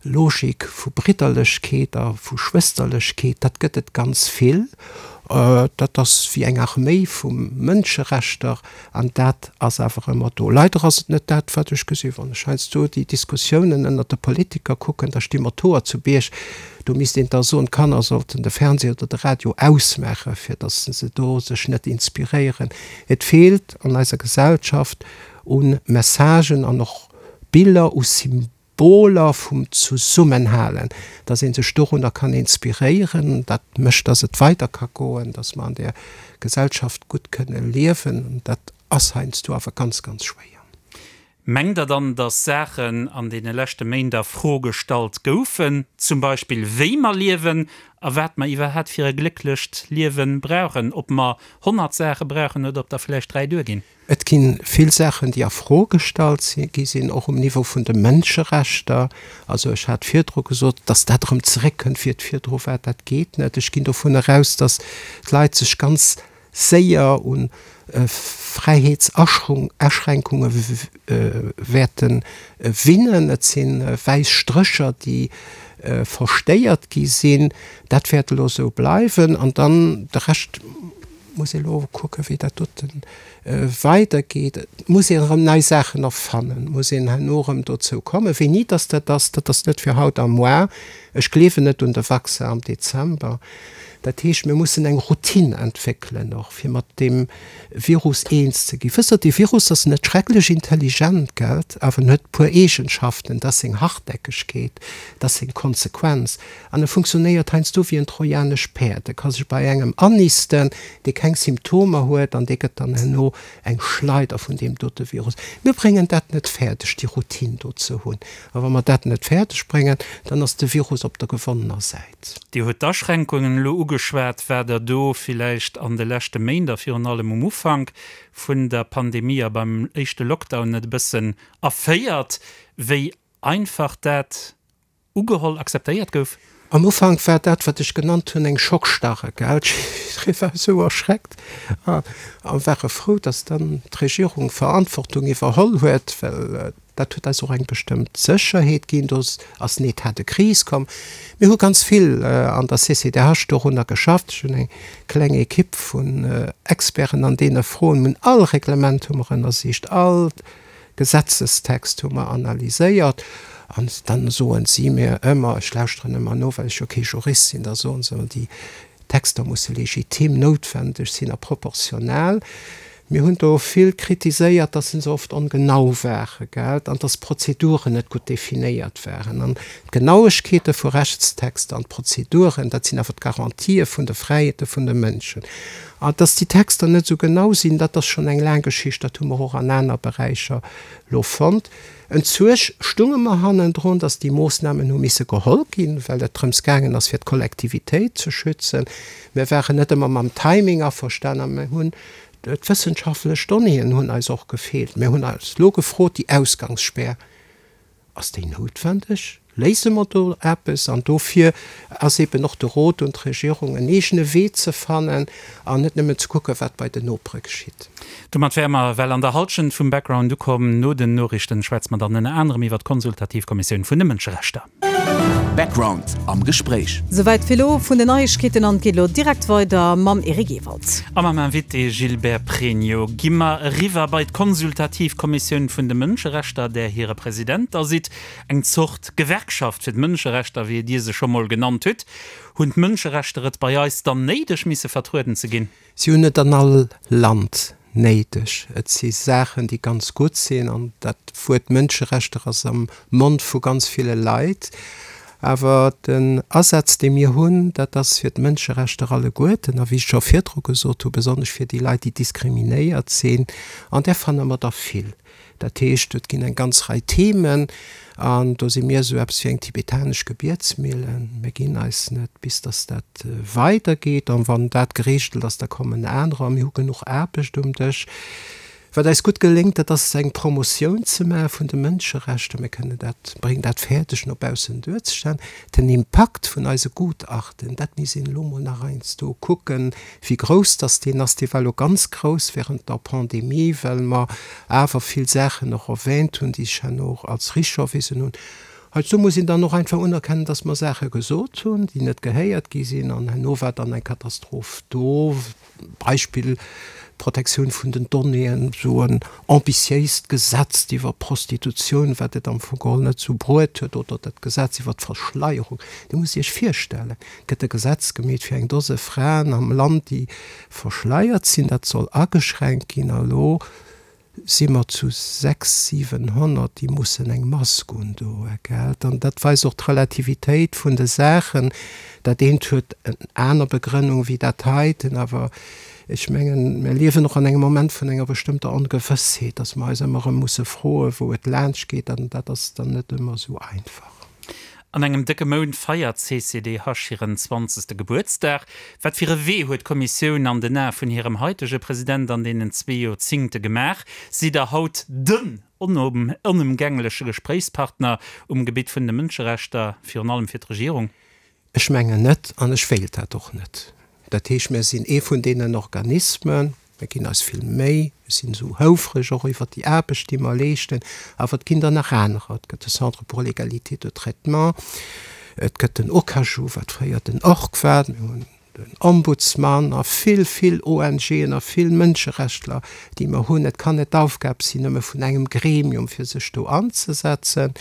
Logik vu Bridderlechkeet a vu Schwësterlechkeet, dat gëtt et ganz vill. Dat ass wéi eng Arméi vu Mënscherechter an dat ass awer ëmmer do. Leider ass et net dat, wat ech gesinn. Wann ech heiansdo déi Diskussiounen ënnert de Politiker kucken, da sti mer d'Hoer zu Bierg. Do misst een da soen, d'Kanner sollten de Fernseh oder de Radio ausmaachen, fir datt se do sech net inspiréieren. Et feelt an eiser Gesellschaft u Messagen an och Biller, u Symboler vum Zesummenhalen, dass ee sech dorunner kann inspiréieren. Dat mécht, dass et weider ka goen, dass mer an där Gesellschaft gutt kënne liewen. Dat ass heiansdo awer ganz, ganz schwéier. Mengt Der dann, dass Saachen an deene leschte Méint a Fro gestallt goufen, zum Beispill wéi mer liewen a wat mer iwwerhat fir e glécklecht Liewe brauchen, ob mer 100 Saache brauchen oder ob der vläicht 3 duerginn? Et gi vill Saachen, déi a Fro gestallt gi sinn, och um Niveau vun de Mënscherechter. Also ech hat virdru gesot, dass dat erëm zeréckkënnt, wéi et virdru war, dat geet net. Ech ginn dovun eraus, dass d'Leit sech ganz séier u Fräiheetsaschränkunge wäerte winnen. Et si wäiss Strécher, déi verstéiert gi sinn. Dat wäert elo esou bleiwen. An dann de Rescht muss ee elo kucken, wéi dat dote weidergeet. Et muss een erëm nei Saachen erfannen, et muss een herno erëm dozou kommen. Wéini dass dat ass, dat ass net fir haut a moar. Ech gleewen net un de Vaccin am Dezember. Dat heescht, mir mussen eng Routine entwéckelen och, fir mat deem Virus eens ze ginn. Wësst Der, dee Virus ass net schrecklech intelligent, gelt, awer en huet e puer Eegenschaften, dat ass seng Hartnäckegkeet, dat ass seng Konsequenz. An e funktionéiert heiansdo wéi en trojanescht Päerd. E ka sech bei engem annisten, dee keng Symptomer huet, an dee gëtt dann herno eng Schleider vun deem dote Virus. Mir bréngen dat net fäerdeg, déi Routine do ze hunn. A wa mer dat net fäerdeg bréngen, dann ass de Virus op der gewonnener Säit. Dir hutt d'Aschränkungen elo ugeschwat. War der do villäicht an de leschte Méint a virun allem um Ufank vun der Pandemie a beim éischte Lockdown net e bëssen erféiert, wéi einfach dat ugeholl, akzeptéiert gouf? Am Ufank war dat, wat ech genannt hunn, eng Schockstarre, gell. Jidderee war esou erschreckt a ware frou, datt dann d'Regierung Verantwortung iwwerholl huet, well Dat huet eis och eng bestëmmt Sécherheet ginn. Do ass en État de crise komm. Mir hu ganz vill an der CCDH dorunner geschafft. Ech hunn eng kleng Ekipp vun Experten an deene Froen. Mir hunn all Reglement hu mer ënnersicht, all Gesetzestext hu mer analyséiert. An dann soen si mir ëmmer, ech lauschteren ëmmer no, well ech jo kee Jurist sinn, da soen se ëmmer, déi Texter musse legitim, noutwendeg sinn a proportional. Mir hunn do vill kritiséiert, dass se oft ongenau ware, gell, an dass d'Prozeduren net gutt definéiert waren. An d'Genauegkeete vu Rechtstexter an d'Prozeduren, dat sinn awer d'Garantië vun de Fräiheete vun de Mënschen. An dass déi Texter net esou genau sinn, dat ass schonn eng laang Geschicht, dat hu mer och an aner Beräicher elo fonnt. Entsuerg stunge mer hannendrun, dass déi Moossnamen hu misse geholl ginn, well et drëms gaangen ass, fir d'Kollektivitéit ze schützen. Mir waren net ëmmer mam Timing averstanen a mir hunn D'wëssenschaftlech Donnéeën hunn eis och gefeelt. Mir hunn eis elo gefrot, déi Ausgangsspär, ass déi noutwendeg? Léise mer do eppes? An dofir ass eeben och de Rot un d'Regierung, en eegene Wee ze fannen an net nëmmen ze kucken, wat bei den Nopere geschitt. Domat wäre mer ewell an der Halschent vum Background ukomm. No den Noriichten schwätze mer dann ënner anerem iwwer d'Konsultativ Kommissioun vun de Mënscherechter. Background am Gespréich. Souwäit fir elo vun den Neiegkeeten an et geet elo direkt weider mam Eric Ewald. A mam Invité Gilbert Pregno gi mer eriwwer bei d'Konsultativ Kommissioun vun de Mënscherechter, där hire President der sidd. Eng Zort Gewerkschaft fir d'Mënscherechter, wéi Dir se scho mol genannt hutt. Hunn d'Mënscherechter et bei eis dann néideg, misse vertrueden ze ginn? Si hunn et an all Land néideg. Et si Saachen, déi ganz gutt sinn, an dat Wuert Mënscherechter ass am Mond vu ganz ville Leit. Awer den Asaz, dee mir hunn, dat ass fir d'Mënscherechter alleguerten, a wéi ech scho virdru gesot hu, besonnesch fir déi Leit, déi diskriminéiert sinn, an där fanne mer der vill. Dat heescht, et ginn eng ganz Rei Themen, an do si mir esou eppes wéi eng tibetanesch Gebietsmillen. Mir ginn eis net, bis datt dat weidergeet. An wann dat gereegelt ass, da kommen anerer. A mir hu genuch Aarbecht um Dësch. Wat eis gutt geléngt, dat ass eng Promotioun ze maache vun de Mënscherechter. Mir kënnen dat, bréngen dat fäerdeg no baussen duerzestellen. Den Impakt vun eise Gutachten, dat misst een elo mol nach heiansdo kucken, Wéi grouss dass deen ass, dee war elo ganz grouss während der Pandemie, well mer awer vill Saachen och erwähnt hunn, déi sech herno och als richteg erwisen hunn. Heizou muss een dann och einfach unerkennen, dass mer Saache gesot hunn, déi net gehéiert gi sinn, an herno war dann eng Katastroph do. Beispill, d'Protektioun vun den Donnéeën, esou en ambitiéist Gesetz iwwer Prostitutioun, wat et am Fong geholl net esou bruet huet, oder dat Gesetz iwwer d'Verschleierung. Dir musst Iech virstellen, gëtt e Gesetz gemeet fir eng Dose Fraen am Land, déi verschleiert sinn. Dat soll ageschränkt ginn. A lo si mer zu 6, 700, déi mussen eng Mask undoen, gell? An dat weist och d'Relativitéit vun de Saachen. Dat eent huet en aner Begrënnung wéi dat heiten. Awer ech mengen, mir liewen och an engem Moment vun enger bestëmmter Ongewëssheet, dass mer eis ëmmer erëm musse froen, wou et laanschtgeet. An dat ass dann net ëmmer esou einfach. An engem décke Mount feiert d'CCDH hiren zwanzegste Gebuertsdag. Wat fir e Wee huet d'Kommissioun an den Ae vun hirem haitege President an deenen zwee Joerzingte gemaach? Sidd Der haut den onëmgängleche Gespréichspartner um Gebitt vun de Mënscherechter, virun allem fir d'Regierung? Ech mengen net, an ech wéilt dat och net. Dat heescht, mir sinn ee vun deenen Organismen, mir ginn eis vill Méi, mir sinn esou houfreg och iwwert déi Aarbecht, déi mer leeschten, awer et ginn der nach anerer. Et gëtt de Centre pour l'égalité de traitement, et gëtt den OCAJU, wat fréier den org war, mir hunn den Ombudsman a vill, vill ONGen a vill Mënscherechtler, déi mer hunn. Et kann net d'Aufgab sinn, nëmme vun engem Gremium, fir sech do anzesetzen.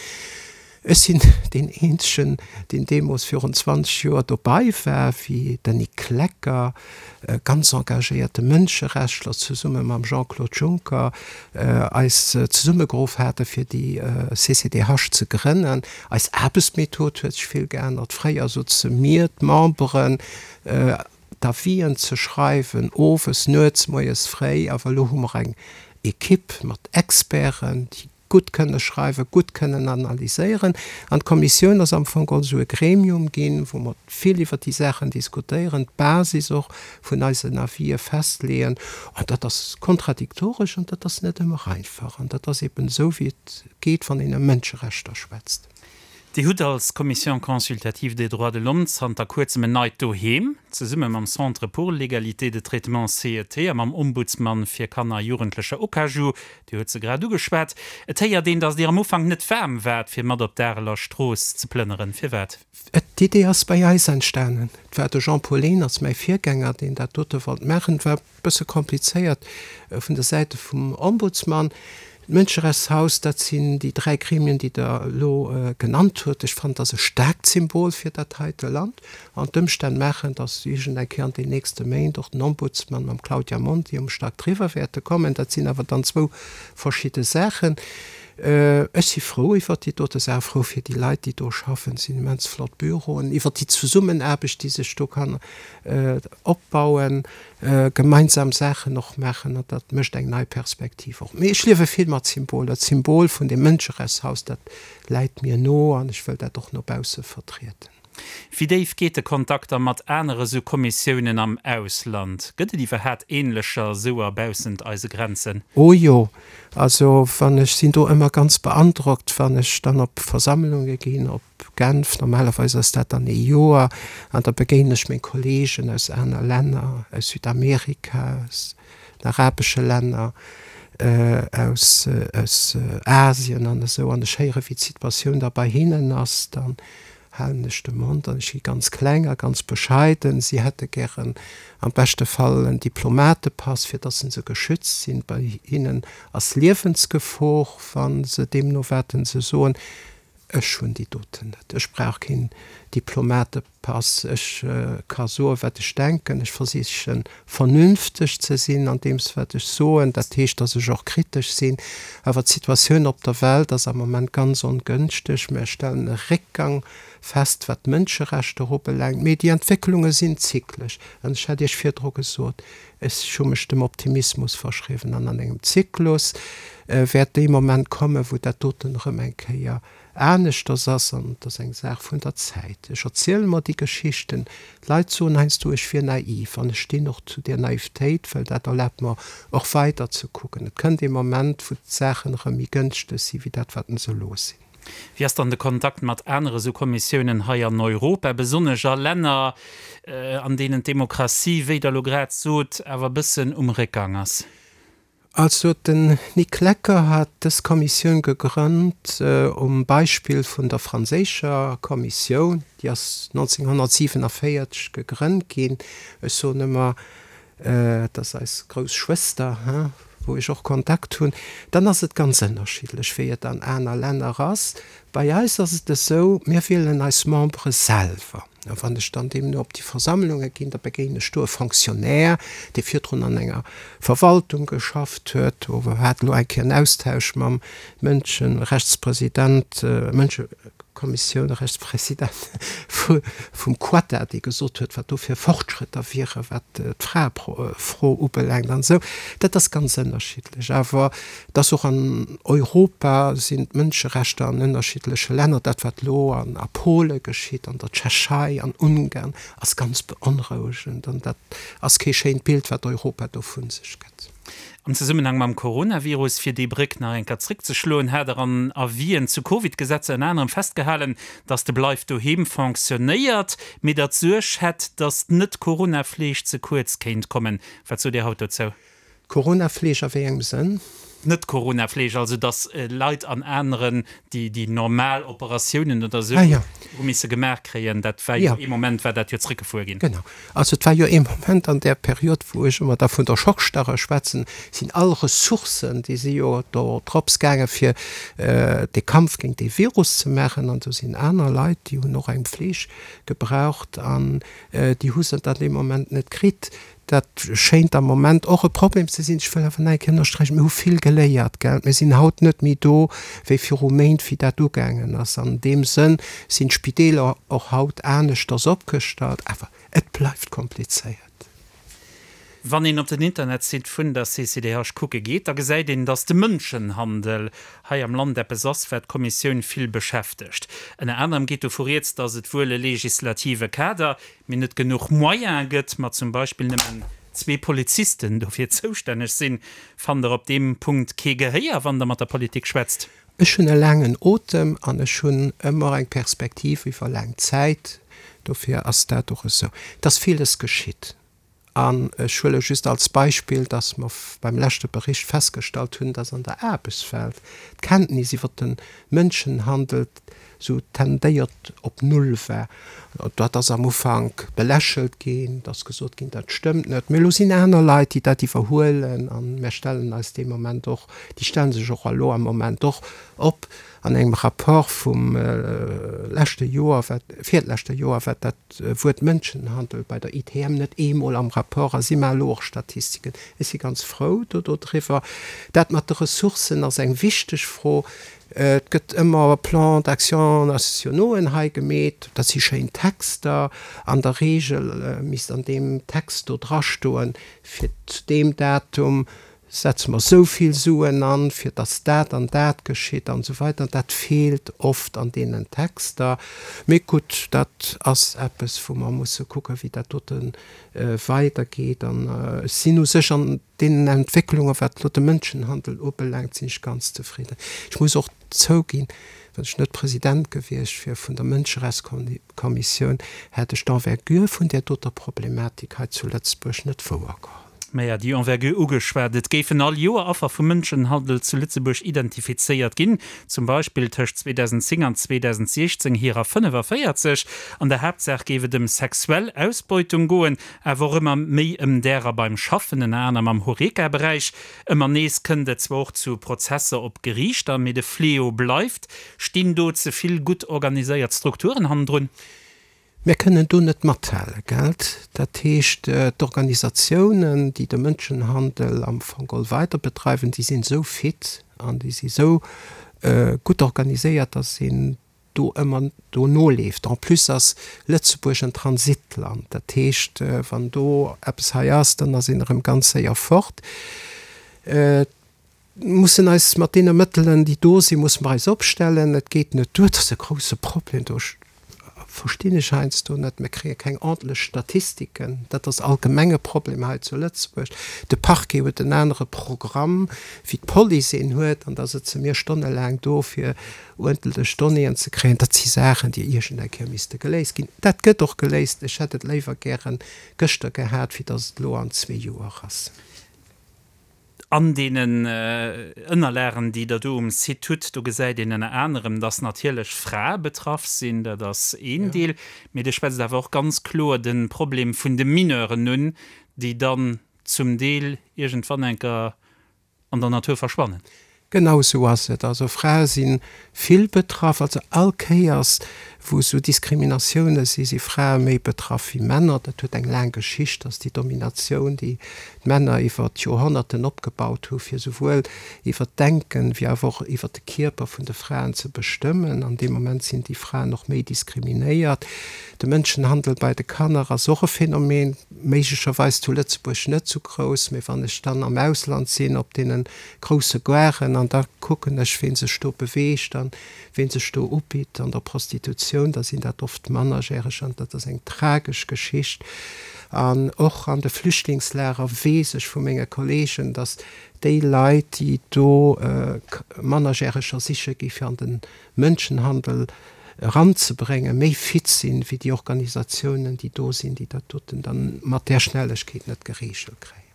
Ech sinn deen eenzegen, deen deemools virun 20 Joer dobei war, wéi den Nic Klecker, e ganz engagéierte Mënscherechtler, zesumme mam Jean-Claude Juncker eis zesummegeruff hate fir déi CCDH ze grënnen. Eis Aarbechtsmethod huet sech vill geännert. Fréier souze mir, d'Memberen, d'Avisen ze schreiwen, owes, nuets, moies fréi. Awer elo hu mer eng Equipe mat Experten, déi gutt kënne schreiwen, gutt kënnen analyséieren. An d'Kommissioun ass am Fong geholl esou e Gremium ginn, wou mer vill iwwert déi Saachen diskutéieren, d'Basis och vun eisen Avisë festleeën. An dat ass kontradiktoresch an dat ass net ëmmer einfach. An dat ass eben esou, wéi et geet, wann een ëm Mënscherechter schwätzt. Dir hutt als Commission consultative des droits de l'homme zanter kuerzem en neit Doheem. Zesumme mam Centre pour l'égalité de traitement, CET, a mam Ombudsman fir Kanner a Jugendlecher, OCAJU, Dir hutt se grad ugeschwat. Et héiert een, datt Dir am Ufank net waarm waart, fir mat op d'Areler Strooss ze plënneren. Firwat? D'Idee ass bei eis entstanen. Et war de Jean-Paul Lehners, mäi Virgänger, deen dat dote wollt maachen. Et war e bësse komplizéiert vun der Säite vum Ombudsman. D'Mënscherechtshaus, dat sinn déi 3 Gremien, déi Der elo genannt hutt. Ech fannen, dat ass e staarkt Symbol fir dat heite Land. An d'Ëmstänn maachen, datt iergend eng Kéier an den nächste Méint och den Ombudsman mam Claudia Monti um Stack driwwer wäerte kommen. Dat sinn awer dann zwou verschidde Saachen. Ech si frou iwwert déi dote Saach, frou fir déi Leit, déi do schaffen. Et sinn immens flott Büroen, iwwert déi Zesummenaarbecht, déi sech do kann opbauen, gemeinsam Saachen och maachen. An dat mécht eng nei Perspektiv och. Mee ech liewe vill mat Symboler. D'Symbol vun deem Mënscherechtshaus, dat läit mir no an ech wëll dat och no bausse vertrieden. Wéi déif geet de Kontakt da mat anere sou Kommissiounen am Ausland? Gëtt et iwwerhaat ähnlecher souer baussent eise Grenzen? Oh jo, also wann ech sinn do ëmmer ganz beandrockt, wann ech dann op Versammlunge ginn, op Genf, normalerweis ass dat dann ee Joer, an da begéinen ech meng Kollegen aus aner Länner, aus Südamerika, aus den arabesche Länner, aus aus Asien an esou, an ech héiere wéi d'Situatioun da bei hinnen ass, dann halen ech de Mond an ech gi ganz kleng a ganz bescheiden. Si hätte gären am beschte Fall en Diplomatepass, fir dass se geschützt sinn. Bei hinnen ass Liewensgefor, wa se deemno waten se soen. Ech hunn déi doten net. Ech brauch keen Diplomatepass. Ech ka soen, wat ech denken. Ech versichen, vernünfteg ze sinn an deems, wat ech soen. Dat heescht, dass ech och kritesch sinn. Awer d'Situatioun op der Welt ass am Moment ganz ongënschteg. Mir stellen e Réckgang fest, wat d'Mënscherechter ubelaangt. Mee déi Entwécklunge sinn zyklesch. An ech hat Iech virdru gesot, ech hu mech dem Optimismus verschriwwen. An an engem Zyklus wäert dee Moment kommen, wou dat doten erëm eng Kéier aneschters ass, an et ass eng Saach vun der Zäit. Ech erziele mer déi Geschichten, d'Leit soen heiansdo, ech wier naiv, an ech stinn och zu där Naivetéit, well dat erlaabt mer och weider ze kucken. Et kënnt ee Moment, wou d'Saachen erëm méi gënschteg si wéi dat, wat se elo sinn. Wéi ass dann de Kontakt mat anere sou Kommissiounen hei an Europa, besonnesch a Länner, an deenen d'Demokratie, wéi Der elo grad sot, awer e bëssen um Réckgang ass? Also den Nick Lecker hat dës Kommissioun gegrënnt um Beispill vun der franséischer Kommissioun, déi ass 1947 gegrënnt ginn. Ech soen ëmmer, et ass eis grouss Schwëster, hein, wou ech och Kontakt hunn. Dann ass et ganz ënnerschiddlech, wéi et an aner Länner ass. Bei eis ass et esou, mir wielen eis Membere selwer. A wann ech dann deemno op déi Versammlunge ginn, da begéinen ech do e Fonctionnaire, dee virdrun an enger Verwaltung geschafft huet. Do hat elo eng Kéier en Austausch mam Mënscherechtspresident, Mënschekommissiounrechtspresident vum Quata, dee gesot huet, wat do fir Fortschrëtter wieren, wat d'Fraefro ubelaangt an esou. Dat ass ganz ënnerschiddlech. Awer Et ass och an Europa sinn d'Mënscherechter an ënnerschiddleche Länner, dat wat elo an a Pole geschitt, an der Tschechei, an Ungarn, ass ganz beonrouegend an dat ass kee schéint Bild wat Europa do vu sech gëtt. Am Zesummenhang mam Coronavirus, fir déi Bréck nach eng Kéier zréckzeschloen, hat Der an Avisen zu Covid-Gesetzer ënner anerem festgehalen, datt de Bleif doheem fonctionnéiert, mee datt d'Suerg hätt, datt d'Net-Corona-Fleeg ze kuerz kéint kommen. Wat sot Dir haut dozou? Corona-Fleeg a wéi engem Sënn? Net-Corona-Fleeg, also datt Leit an aneren, déi déi normal Operatiounen oder esou hu misse gemaach kréien, dat war jo ee Moment war dat jo zréckgefuer ginn. Genau. Also et war jo ee Moment an där Period, wou ech ëmmer da vun der Schockstarre schwätzen, sinn all Ressourcen, déi si jo do drops gaange fir dee Kampf géint dee Virus ze maachen. An do sinn aner Leit, déi hunn och eng Fleeg gebraucht an déi hu se dann dee Moment net kritt. Dat schéint am Moment och e Problem ze sinn. Ech wëll awer nach eng Kéier ënnersträichen, Mir hu vill geléiert, gell. Mir sinn haut net méi do wéi viru Méint, wéi dat ugaangen ass. An deem Sënn sinn d'Spideeler och haut aneschters opgestallt. Awer et bleift komplizéiert. Wann een op den Internetsite vun der CCDH kucke geet, da gesäit een, datt de Mënschenhandel hei am Land eppes ass, wat d'Kommissioun vill beschäftegt. Ënner anerem geet dovu rieds, datt et wuel e legislative Kader, mee net genuch Moyene gëtt, ma zum Beispill nëmmen zwee Polizisten dofir zoustänneg sinn. Fannt Der op deem Punkt kee Gehéier, wann Der mat der Politik schwätzt? Ech hunn e laangen Otem an ech hunn ëmmer eng Perspektiv iwwer laang Zäit. Dofir ass dat och esou. Et ass villes geschitt. An ech huele just als Beispill, dass mer beim leschte Bericht festgestallt hunn, dass an der Aarbechtswelt d'Kenntnis iwwer de Mënschenhandel esou tendéiert op Null war. Dat ass am Ufank belächelt ginn, et ass gesot ginn, dat stëmmt net. Mee elo sinn aner Leit, déi dat iwwerhuelen a mir stellen eis dee Moment och, déi stelle sech och elo am Moment och op an engem Rapport vum leschte Joer, wat, virleschte Joer, wat dat Wuert Mënschenhandel bei der ITM net eemol am Rapport ass. Si maache elo och Statistiken. Ech si ganz frou do dodriwwer. Dat mat de Ressourcen ass eng wichteg Fro. Et gëtt ëmmer Plans d'action nationauxen hei gemeet. Dat si schéin Texter. An der Regel misst an deem Text do drastoen, fir zu deem Datum. Setze mer esou vill Suen an, fir dass dat an dat geschitt an esou weider. Dat feelt oft an deenen Texter. Mee gutt, dat ass eppes, wou mer musse kucken, wéi dat dote weidergeet. An ech sinn u sech an deenen Entwécklungen, wat elo de Mënschenhandel ubelaangt, sinn ech ganz zefridden. Ech muss och zouginn, wann ech net President gewiescht wier vun der Mënscherechtskommissioun, hätt ech d'Envergure vun där doter Problematik hei zu Lëtzebuerg net wouergeholl. Maja, déi Envergure ugeschwat. Et géifen all Joer Affer vum Mënschenhandel zu Lëtzebuerg identifizéiert ginn, zum Beispill tëscht 2010 an 2016 hirer 45. An der Haaptsaach géif et ëm sexuell Ausbeutung goen, awer och ëmmer méi ëm därer beim Schaffen, ënner anerem am Horeca-Beräich. Ëmmer nees kënnt et zwar och zu Prozesser op Geriichter, mee de Fléau bleift. Stinn do ze vill gutt organiséiert Strukturen hannendrun? Mir kënnen do net mathalen, gellt? Dat heescht, d'Organisatiounen, déi de Mënschenhandel am Fong geholl weider bedreiwen, déi sinn esou fit an déi si esou gutt organiséiert, datt een do ëmmer do noleeft. En plus ass Lëtzebuerg en Transitland, dat heescht, wann do eppes hei ass, dann ass een erëm ganz séier fort. Mussen eis mat deene Mëttelen, déi do sinn, musse mer eis opstellen. Et geet net duer, dat ass e grouse Problem, do verstinn ech heiansdo net, mir kréie keng ordentlech Statistiken, dat ass allgemeng e Problem hei zu Lëtzebuerg. De Parquet huet en anere Programm wéi d'Police een huet an da sëtze mir stonnelaang do fir uerdentlech Donnéeën ze kréien. Dat si Saachen, déi iergend eng Kéier misste geléist ginn. Dat gëtt och geléist. Ech hätt et léiwer gäre gëschter gehat, wéi datt et elo an zwee Joer ass. An deenen Ënnerlagen, déi Der do um Site hutt, do gesäit een ënner anerem, dass natierlech Frae betraff sinn, dat ass een Deel, mee Dir schwätzt awer och ganz kloer de Problem vun de Mineuren un, déi dann zum Deel iergendwann enker an der Natur verschwannen. Genau esou ass et. Also Frae si vill betraff. Also all Kéiers, wou esou Diskriminatioune si, si Frae méi betraff wéi Männer. Dat huet eng laang Geschicht, dass déi Dominatioun, déi d'Männer iwwer d'Joerhonnerten opgebaut hu fir souwuel iwwer d'Denken, wéi awer och iwwer de Kierper vun de Fraen ze bestëmmen. An deem Moment sinn déi Fraen och méi diskriminéiert. De Mënschenhandel bei de Kanner ass och e Phänomen, méiglecherweis zu Lëtzebuerg net esou grouss, mee wann ech dann am Ausland sinn, op deene grousse Garen an da kucken ech, ween sech do beweegt an ween sech do ubitt an der Prostitutioun, da sinn dat oft Mannerjäreger an dat ass eng tragesch Geschicht. An och an de Flüchtlingslager weess ech vu menge Kollegen, datt déi Leit, déi do Mannerjäreger siche gi fir an de Mënschenhandel eranzebréngen, méi fit sinn, wéi déi Organisatiounen, déi do sinn, déi dat doten dann mat där Schnellegkeet net gereegelt kréien.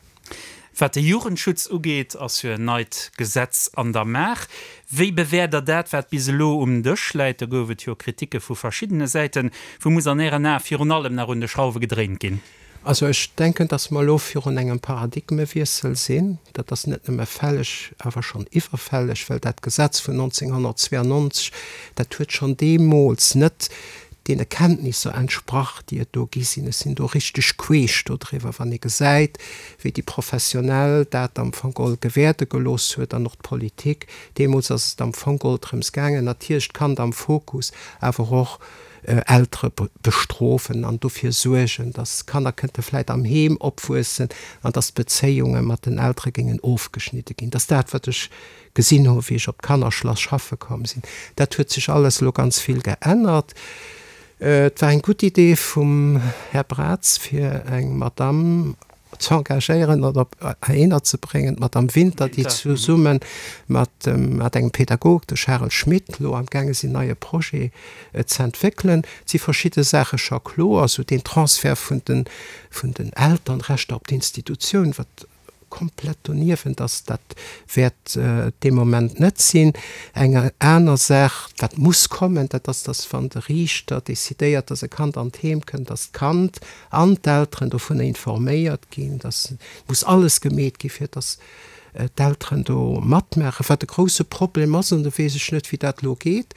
Wat de Jugendschutz ugeet, ass jo en neit Gesetz an der Maach. Wéi bewäert Der dat, wat bis elo um Dësch läit? Do gouf et jo Kriticke vu verschiddene Säiten. Wou muss an Ären Ae virun allem nach un de Schrauwe gedréint ginn? Also ech denken, dass mer elo virun engem Paradigmewiessel sinn. Dat ass net nëmme fälleg, awer schonn iwwerfälleg, well dat Gesetz vun 1992, dat huet schonn deemools net deene Kenntnisser entsprach, déi et do gi sinn. Ech sinn do richteg queesch dodriwwer, wann ee gesäit, wéi déi Professionell dat am Fong geholl gewäerde gelooss huet an och d'Politik. Deemools ass et am Fong geholl drëms gaangen, natierlech d'Kand am Fokus, awer och Eltere bestrofen an dofir suergen, dass d'Kanner kënnte vläit am Heem opwuessen an dass d'Bezéiunge mat den Eltere géingen ofgeschnidde ginn. Dat ass dat, wat ech gesinn hu wéi ech op d'Kannerschlass schaffe komm sinn. Dat huet sech alles elo ganz vill geännert. Et war eng gutt Idee vum Här Braz fir eng Madamm ze engagéieren oder op heihinner ze bréngen, d'Madamm Winter, déi zesumme mat mat engem Pädagog, de Charel Schmit, elo amgaange sinn neie Projet ze entwéckelen. Et si verschidde Saache scho kloer, esou deen Transfert vun den vun den Elternrechter op d'Institutioun, wat komplett doniewent ass, dat wäert dee Moment net sinn. Eng aner Saach, wat muss kommen, dat ass, dass wann de Riichter decidéiert, dass e Kand an d'Heem kënnt, dass d'Kand an d'Elteren dovunner informéiert ginn. Dass muss alles gemeet gi fir dass d'Elteren do matmaachen. Wat e grouse Problem ass, an do weess ech net, wéi dat elo geet,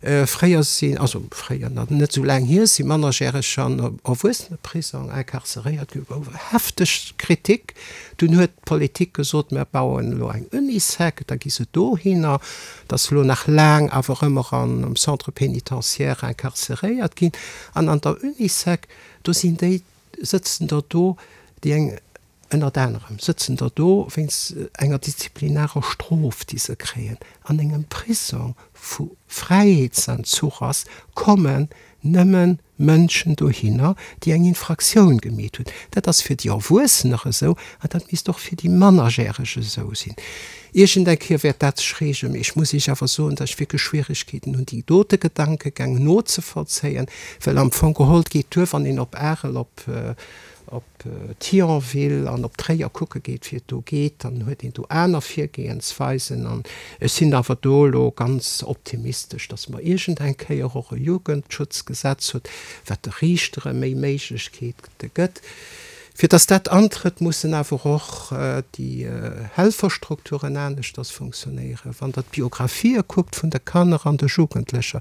Fréier sinn, also fréier, nach net esou laang hier, si Mannerjäreger an Erwuesseneprisong incarceréiert ginn. Gouf hefteg Kritik. Dunn huet d'Politik gesot, mir bauen elo eng Unisec, da gi se dohinner. Et ass elo nach laang awer ëmmer am Centre pénitentiaire incarceréiert ginn. An an der Unisec, do sinn déi, sëtzen der do, déi eng. Ënnert anerem sëtzen der do wéinst enger disziplinarer Strof, déi se kréien. An engem Prisong, wou Fräiheetsentzuch ass, kommen nëmme Mënschen dohinner, déi eng Infraktioun gemeet hunn. Dat ass fir déi Erwuessener esou an dat misst och fir déi Mannerjäreg esou sinn. Iergend eng Kéier wäert dat sech reegelen, mee ech muss Iech awer soen, datt ech wierklech Schwieregkeeten hunn, déi dote Gedankegäng nozevollzéien, well am Fong geholl, et geet duer, wann een op Arel, op op Thionville an op Tréier kucke geet, wéi et do geet, dann huet een do aner Virgehensweisen. An ech sinn awer do elo ganz optimistesch, dass mer iergend eng Kéier och e Jugendschutzgesetz hutt, wat de Riichtere méi Méiglechkeete gëtt. Fir dass dat antrëtt, mussen awer och déi Helferstrukturen aneschters funktionéieren. Wann Der d'Biographië kuckt vun de Kanner an de Jugendlecher,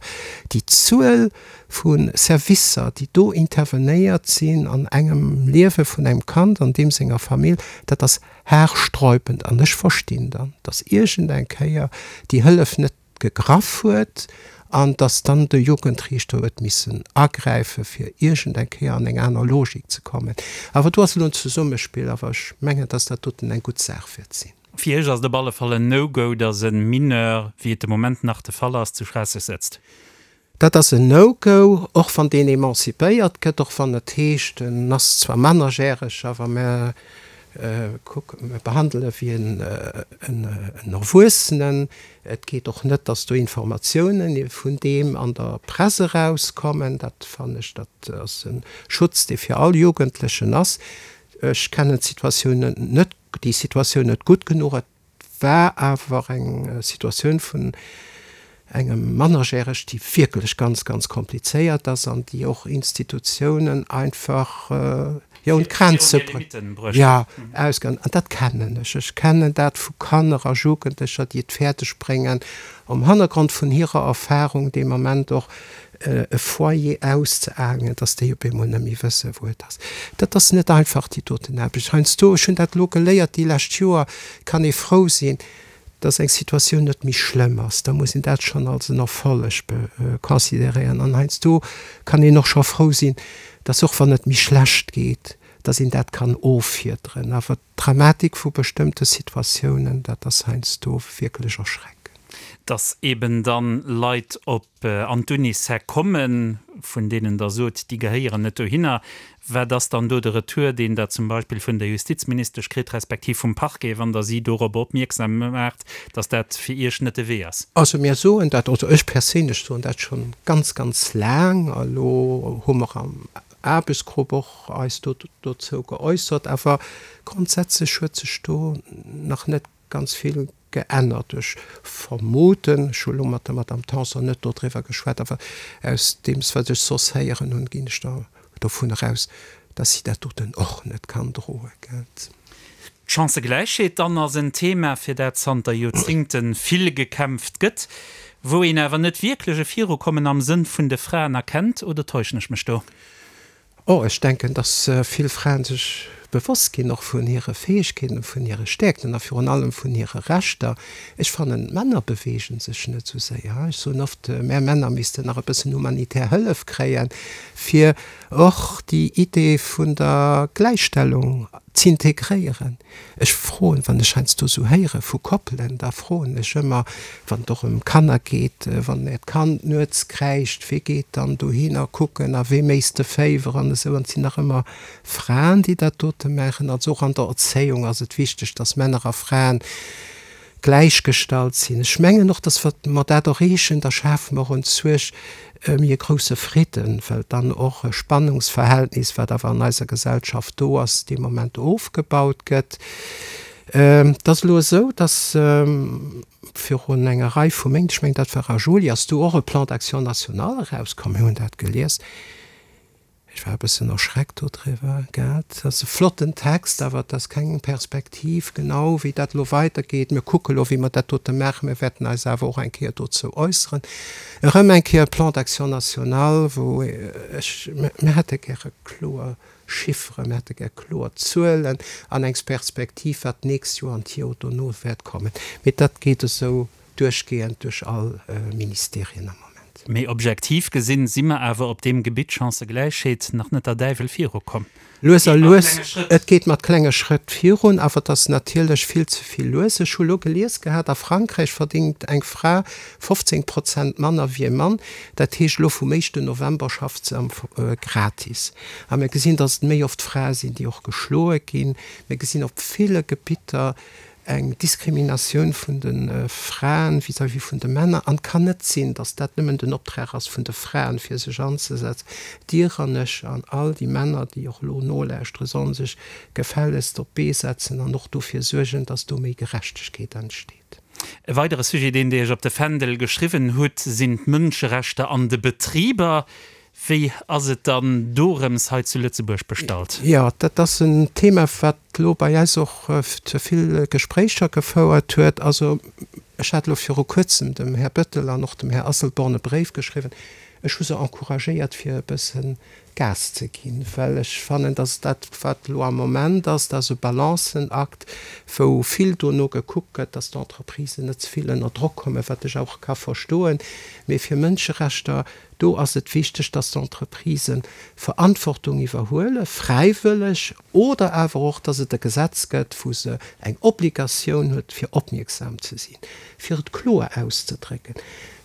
déi Zuel vu Servicer, déi do intervenéiert sinn an engem Liewe vun engem Kand an deem senger Famill, dat ass haarsträubend. An ech verstinn dann, dass iergend eng Kéier déi Hëllef net gegraff huet an dass dann de Jugendriichter huet missen agräife fir iergend eng Kéier an eng aner Logik ze kommen. Awer do ass elo en Zesummespill, awer ech mengen, dass dat doten eng gutt Saach wäert sinn. Fir Iech ass et op alle Fall en No-Go, dass e Mineur, wéi et de Moment nach de Fall ass, zu Schraasseg sëtzt. Dat ass en No-Go, och wann deen emancipéiert gëtt, och wann et heescht, en ass zwar mannerjäreg, awer mer kucken, mer behandele wéi en Erwuessenen. Et geet och net, datt do Informatiounen vun deem an der Press erauskommen. Dat fannen ech, dat ass e Schutz, dee fir all Jugendlechen ass. Ech kennen d'Situatioun net, déi Situatioun net gutt genuch. Et war awer eng Situatioun vun engem Mannerjäreg, déi wierklech ganz, ganz komplizéiert ass an déi och Institutiounen einfach, jo, un d'Grenze jo, ausgaangen. An dat kennen ech. Ech kennen dat vu Kanner a Jugendlecher, déi et fäerdeg bréngen, um Hannergrond vun hirer Erfahrung dee Moment och e Foyer auszeaangen, dass déi op eemol net méi wëssen, wou et ass. Dat ass net einfach, déi doten Aarbecht. Heiansdo, ech hunn dat elo geléiert déi lescht Joer, kann ee frou sinn, dass eng Situatioun net méi schlëmm ass. Da muss een dat schonn als en Erfolleg consideréieren. An heiansdo kann een och scho frou sinn, dass och wann et méi schlecht geet, dass een dat kann offiederen. Awer D'Dramatik vu bestëmmte Situatiounen, dat ass heiansdo wierklech erschreckend. Dass eben dann Leit op an d'Unisec kommen, vun deenen Der sot, déi gehéieren net dohinner. Wat ass dann do de Retour, deen Der zum Beispill vun der Justizministesch kritt, respektiv vum Parquet, wann Der si dorobber opmierksam maacht, dass dat fir Iech net de Wee ass? Also mir soen dat, also ech perséinlech soen dat scho ganz, ganz laang. Elo hu mer am Aarbechtsgrupp och eis do dozou geäussert, awer grondsätzlech huet sech do nach net ganz vill geännert. Ech vermuten, ech hu elo mat der Madame Tanson net dodriwwer geschwat, awer aus deem wat ech soss héieren hunn, ginn ech da dovun eraus, dass si dat doten och net kann droen. D'Chancëgläichheet dann ass en Thema, fir dat zanter Joerzéngte vill gekämpft gëtt, wou een awer net wierklech e Virukommen am Sënn vun de Fraen erkennt, oder täuschen ech mech do? Oh, ech denken, dass vill Fraen sech bewosst ginn och vun hire Fäegkeeten, vun hire Stäerkten a virun allem vun hire Rechter. Ech fannen, d'Männer beweegen sech net esou séier. Ech soen oft, mär Männer missten nach e bëssen humanitär Hëllef kréien, fir och déi Idee vun der Gläichstellung z'integréieren. Ech froen, wann ech heiansdo esou héiere vu Koppelen, da froen ech ëmmer, wann et och ëm Kanner geet, Wann Äert Kand nuets kräischt, wee geet dann dohinner kucken a wee méisst de Féiwer an esou. An et sinn nach ëmmer Fraen, déi dat dote maachen. Also och an der Erzéiung ass et wichteg, dass Männer a Fraen gläichgestallt sinn. Ech mengen och, dass wa mer dat erreechen, da schafe mer och enzuech méi e grousse Fridden, well dann och e Spannungsverhältnis, wat awer an eiser Gesellschaft do ass, dee Moment ofgebaut gëtt. Et ass elo esou, dass virun enger Rei vu Méint, ech mengen dat war a Juli, ass do och e Plan d'action national erauskomm. Mir hunn dat gelies. Ech war e bëssen erschreckt dodriwwer, gell. Et ass e flotten Text, awer et ass keng Perspektiv genau, wéi dat elo weidergeet. Mir kucke elo, wéi mer dat dote maachen. Mir wäerten eis awer och eng Kéier dozou äusseren. Erëm eng Kéier e Plan d'action national, wou ech, mir hätte gäre kloer Chifferen, mir hätte gär kloer Zuelen an eng Perspektiv, wat d'nächst Joer an d'Joer dono wäert kommen. Mee dat geet esou duerchgehend duerch all Ministerien am Moment. geet. Mee objektiv gesinn, si mer awer op deem Gebitt Chancëgläichheet nach net der Däiwel virukomm. Lues a lues, et geet mat klenge Schrëtt virun, awer et ass natierlech vill ze vill lues. Ech hu lo gelies gehat, a Frankräich verdéngt eng Fra 15 Prozent manner wéi e Mann. Dat heescht, elo vum éischten November schafft se am gratis. A mir gesinn, datt et méi oft Frae sinn, déi och geschloe ginn. Mir gesinn op ville Gebitter eng Diskriminatioun vun de Fraen vis-à-vis vun de Männer. An et kann net sinn, datt dat nëmmen den Optrag ass vun de Fraen, fir sech anzesetzen. Dir an ech an all déi Männer, déi och elo nolauschteren, sollen sech gefällegst op d'Bee setzen an och dofir suergen, datt do méi Gerechtegkeet entsteet. E weidere Sujet, deen Dir Iech op de Fändel geschriwwen hutt, sinn d'Mënscherechter an de Betriber. Wéi ass et dann dorëms hei zu Lëtzebuerg bestallt? Jo, dat ass en Thema, wat elo bei eis och zu vill Gespréicher gefouert huet. Also ech hat elo viru Kuerzem dem Här Bettel an och dem Här Asselborn e Bréif geschriwwen. Ech hu se encouragéiert, fir e bësse Gas ze ginn, well ech fannen, dass dat, wat elo am Moment ass, dat ass e Balancenakt, wou vill dono gekuckt gëtt, dass d'Entreprisen net ze vill ënner Drock kommen, wat ech och ka verstoen. Mee fir Mënscherechter Do ass et wichteg, dass d'Entreprisen Verantwortung iwwerhuelen, fräiwëlleg, oder awer och, dass et e Gesetz gëtt, wou se eng Obligatioun huet, fir opmierksam ze sinn. Fir et kloer auszedrécken,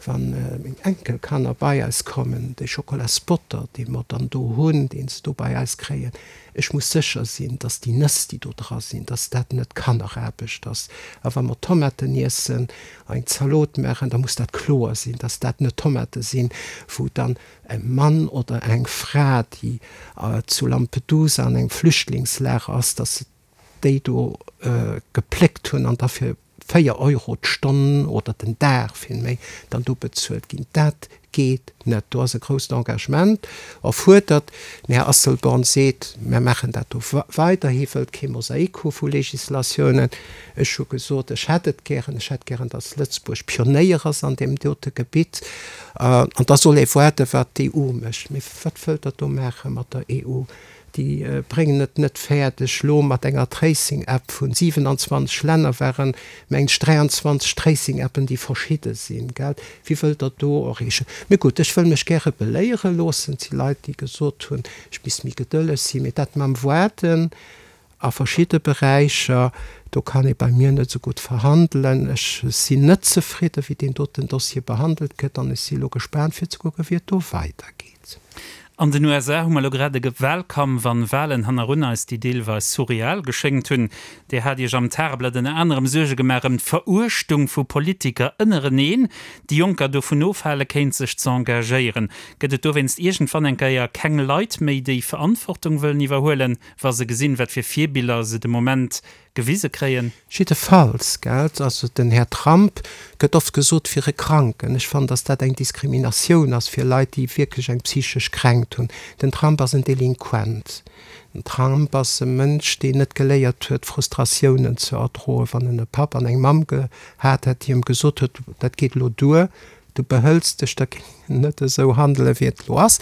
Wa meng Enkelkanner bei eis kommen, dee Schokolasbotter, dee mer dann do hunn, dee se do bei eis kréien, Ech muss sécher sinn, dass déi Nëss, déi do dra sinn, dass dat net Kanneraarbecht ass. A wa mer Tomaten iessen, eng Zalot maachen, da muss dat kloer sinn, dass dat net Tomate sinn, wou dann e Mann oder eng Fra, déi zu Lampedusa an engem Flüchtlingslager ass, dass se déi do gepléckt hunn an da fir 4 Euro d'Stonn oder den Dag villméi dann do bezuelt ginn. Dat geet net. Do ass e grousst Engagement erfuerdert. Den Här Asselborn seet, Mir maachen dat do weider. Hie wëllt kee Mosaik hu vu Législatiounen. Ech hu gesot, ech hätt et gären, ech hätt gären, datt Lëtzebuerg Pionéier ass an deem dote Gebitt. An da soll ee waarden, wat d'EU mécht. Mee wat wëllt Der do maache mat der EU? Déi bréngen et net fäerdeg, elo mat enger Tracing-App vun 27 Länner, waren mengen ech 23 Tracing-Appen, déi verschidde sinn, gell? Wéi wëllt Der do erreechen? Mee gutt, ech wëll mech gäre beléiere loossen. Et si Leit, déi gesot hunn, ech misst méi gedëlleg sinn. Mee dat mam Waarden a verschidde Beräicher, do kann ee bei mir net esou gutt verhandelen. Ech sinn net zefridde wéi deen doten Dossier behandelt gëtt an ech si elo gespaant fir ze kucken, wéi et do weidergeet. An den USA hu mer elo grad e Wahlkampf an Wahlen hannerun eis, déi deelweis surreal geschéngt hunn. Dir hat Iech am Tageblatt ënner anerem Suerge gemaach ëm d'Veruechtung vu Politiker ënnereneen, déi Jonker dovun ofhale kéint, sech ze engagéieren. Gëtt et dowéinst iergendwann eng Kéier keng Leit méi, déi Verantwortung wëllen iwwerhuelen, wa se gesinn, wat fir Virbiller se de Moment gewise kréien. Jiddefalls, gell, also den Här Trump gëtt oft gesot fir e Kranken. Ech fannen, datt dat eng Diskriminatioun ass fir Leit, déi wierklech eng psychesch Kränkt hunn. Den Trump ass en Delinquent. Den Trump ass e Mënsch, deen net geléiert huet, Frustratiounen ze erdroen. Wann en e Papp an eng Mamm gehat hätt, déi em gesot huet, dat geet elo duer, Du behëls dech, da géing en net esou handelen, wéi et elo ass.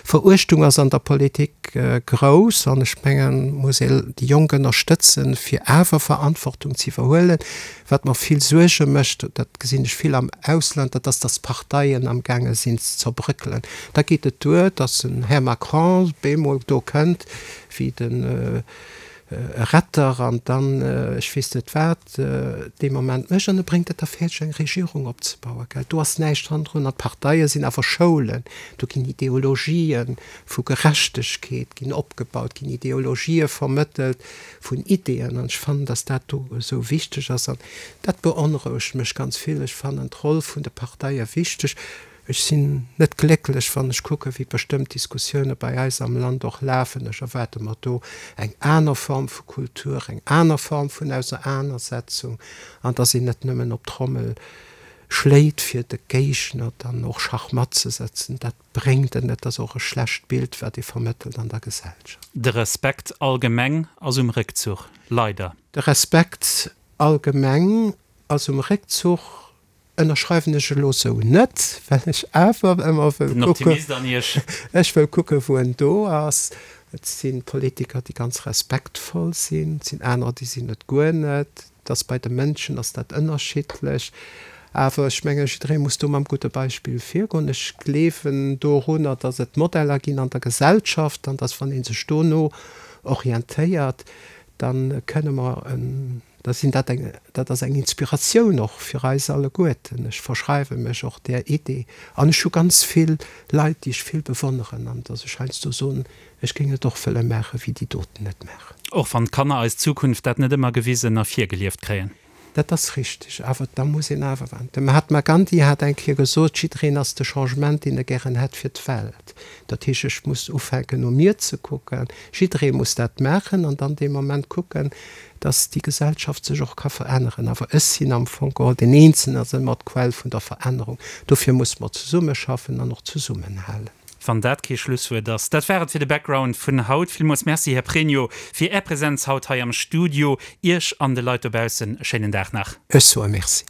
Veruechtung ass an der Politik grouss an ech mengen, muss ee déi Jonk ënnerstëtzen, fir awer Verantwortung ze iwwerhuelen. Wat mer vill Suerge mécht, dat gesinn ech vill am Ausland, dat ass, datt d'Parteien amgaange sinn ze zerbrëckelen. Da geet et duer, datt en Här Macron bemol do kënnt wéi de Retter an dann ech weess net wat dee Moment mécht an e bréngt et da fäerdeg eng Regierung opzebauen, gell. Do ass näischt hannendrun an d'Parteie sinn awer Schoulen, do ginn Ideologië vu Gerechtegkeet ginn opgebaut, ginn Ideologië vermëttelt vun Ideeën an ech fannen, datt dat do esou wichteg ass an dat beonrouegt mech ganz vill. Ech fannen d'Roll vun de Parteie wichteg. Ech sinn net glécklech, wann ech kucken, wéi bestëmmt Diskussioune bei eis am Land och lafen. Ech erwaarde mer do eng aner Form vu Kultur, eng aner Form vun Auseraanersetzung an dass een net nëmmen op d'Trommel schléit, fir de Géigner dann och Schachmatt ze setzen. Dat bréngt et net. Dat ass och e schlecht Bild, wat ee vermëttelt an der Gesellschaft. De Respekt allgemeng ass um Réckzuch, leider. De Respekt allgemeng ass um Réckzuch. Ënnerschreiwen ech elo sou net, well ech awer ëmmer wëll Den kucken, Optimist an Iech. ech wëll kucken, wou en do ass. Et si Politiker, déi ganz respektvoll sinn, et sinn anerer, déi sinn et guer net. Et ass bei de Mënschen ass dat ënnerschiddlech. Awer ech mengen, jidderee muss do mam gudde Beispill virgoen. Ech gleewen dorunner, dass et Modeller ginn an der Gesellschaft an dass, wann ee sech dono orientéiert, da kënne mer en, da sinn dat eng, dat ass eng Inspiratioun och fir eis alleguerten. Ech verschreiwe mech och där Idee an ech hu ganz vill Leit, déi ech vill bewonneren an dass ech heiansdo soen, ech géing et och wëlle maachen, wéi déi doten et maachen. Och wann d'Kanner eis Zukunft dat net ëmmer gewisen a virgelieft kréien. Dat ass richteg, awer da muss een awer warnen. De Mahatma Gandhi hat eng Kéier gesot, Jiddereen ass de Changement, deen e gären hätt fir d'Welt. Dat heescht, ech muss ufänken no mir ze kucken. Jidderee muss dat maachen an dann dee Moment kucken, dass déi Gesellschaft sech och ka veränneren. Awer ech sinn am Fong geholl, den Eenzelnen ass ëmmer d'Quell vun der Verännerung. Dofir musse mer zesummeschaffen an och zesummenhalen. Wann dat kee Schlusswuert ass. Dat war et fir de Background vun haut. Villmools Merci, Här Pregno, fir Är Präsenz haut hei am Studio. Iech an de Leit dobaussen e schéinen Dag nach. Ech soe Merci.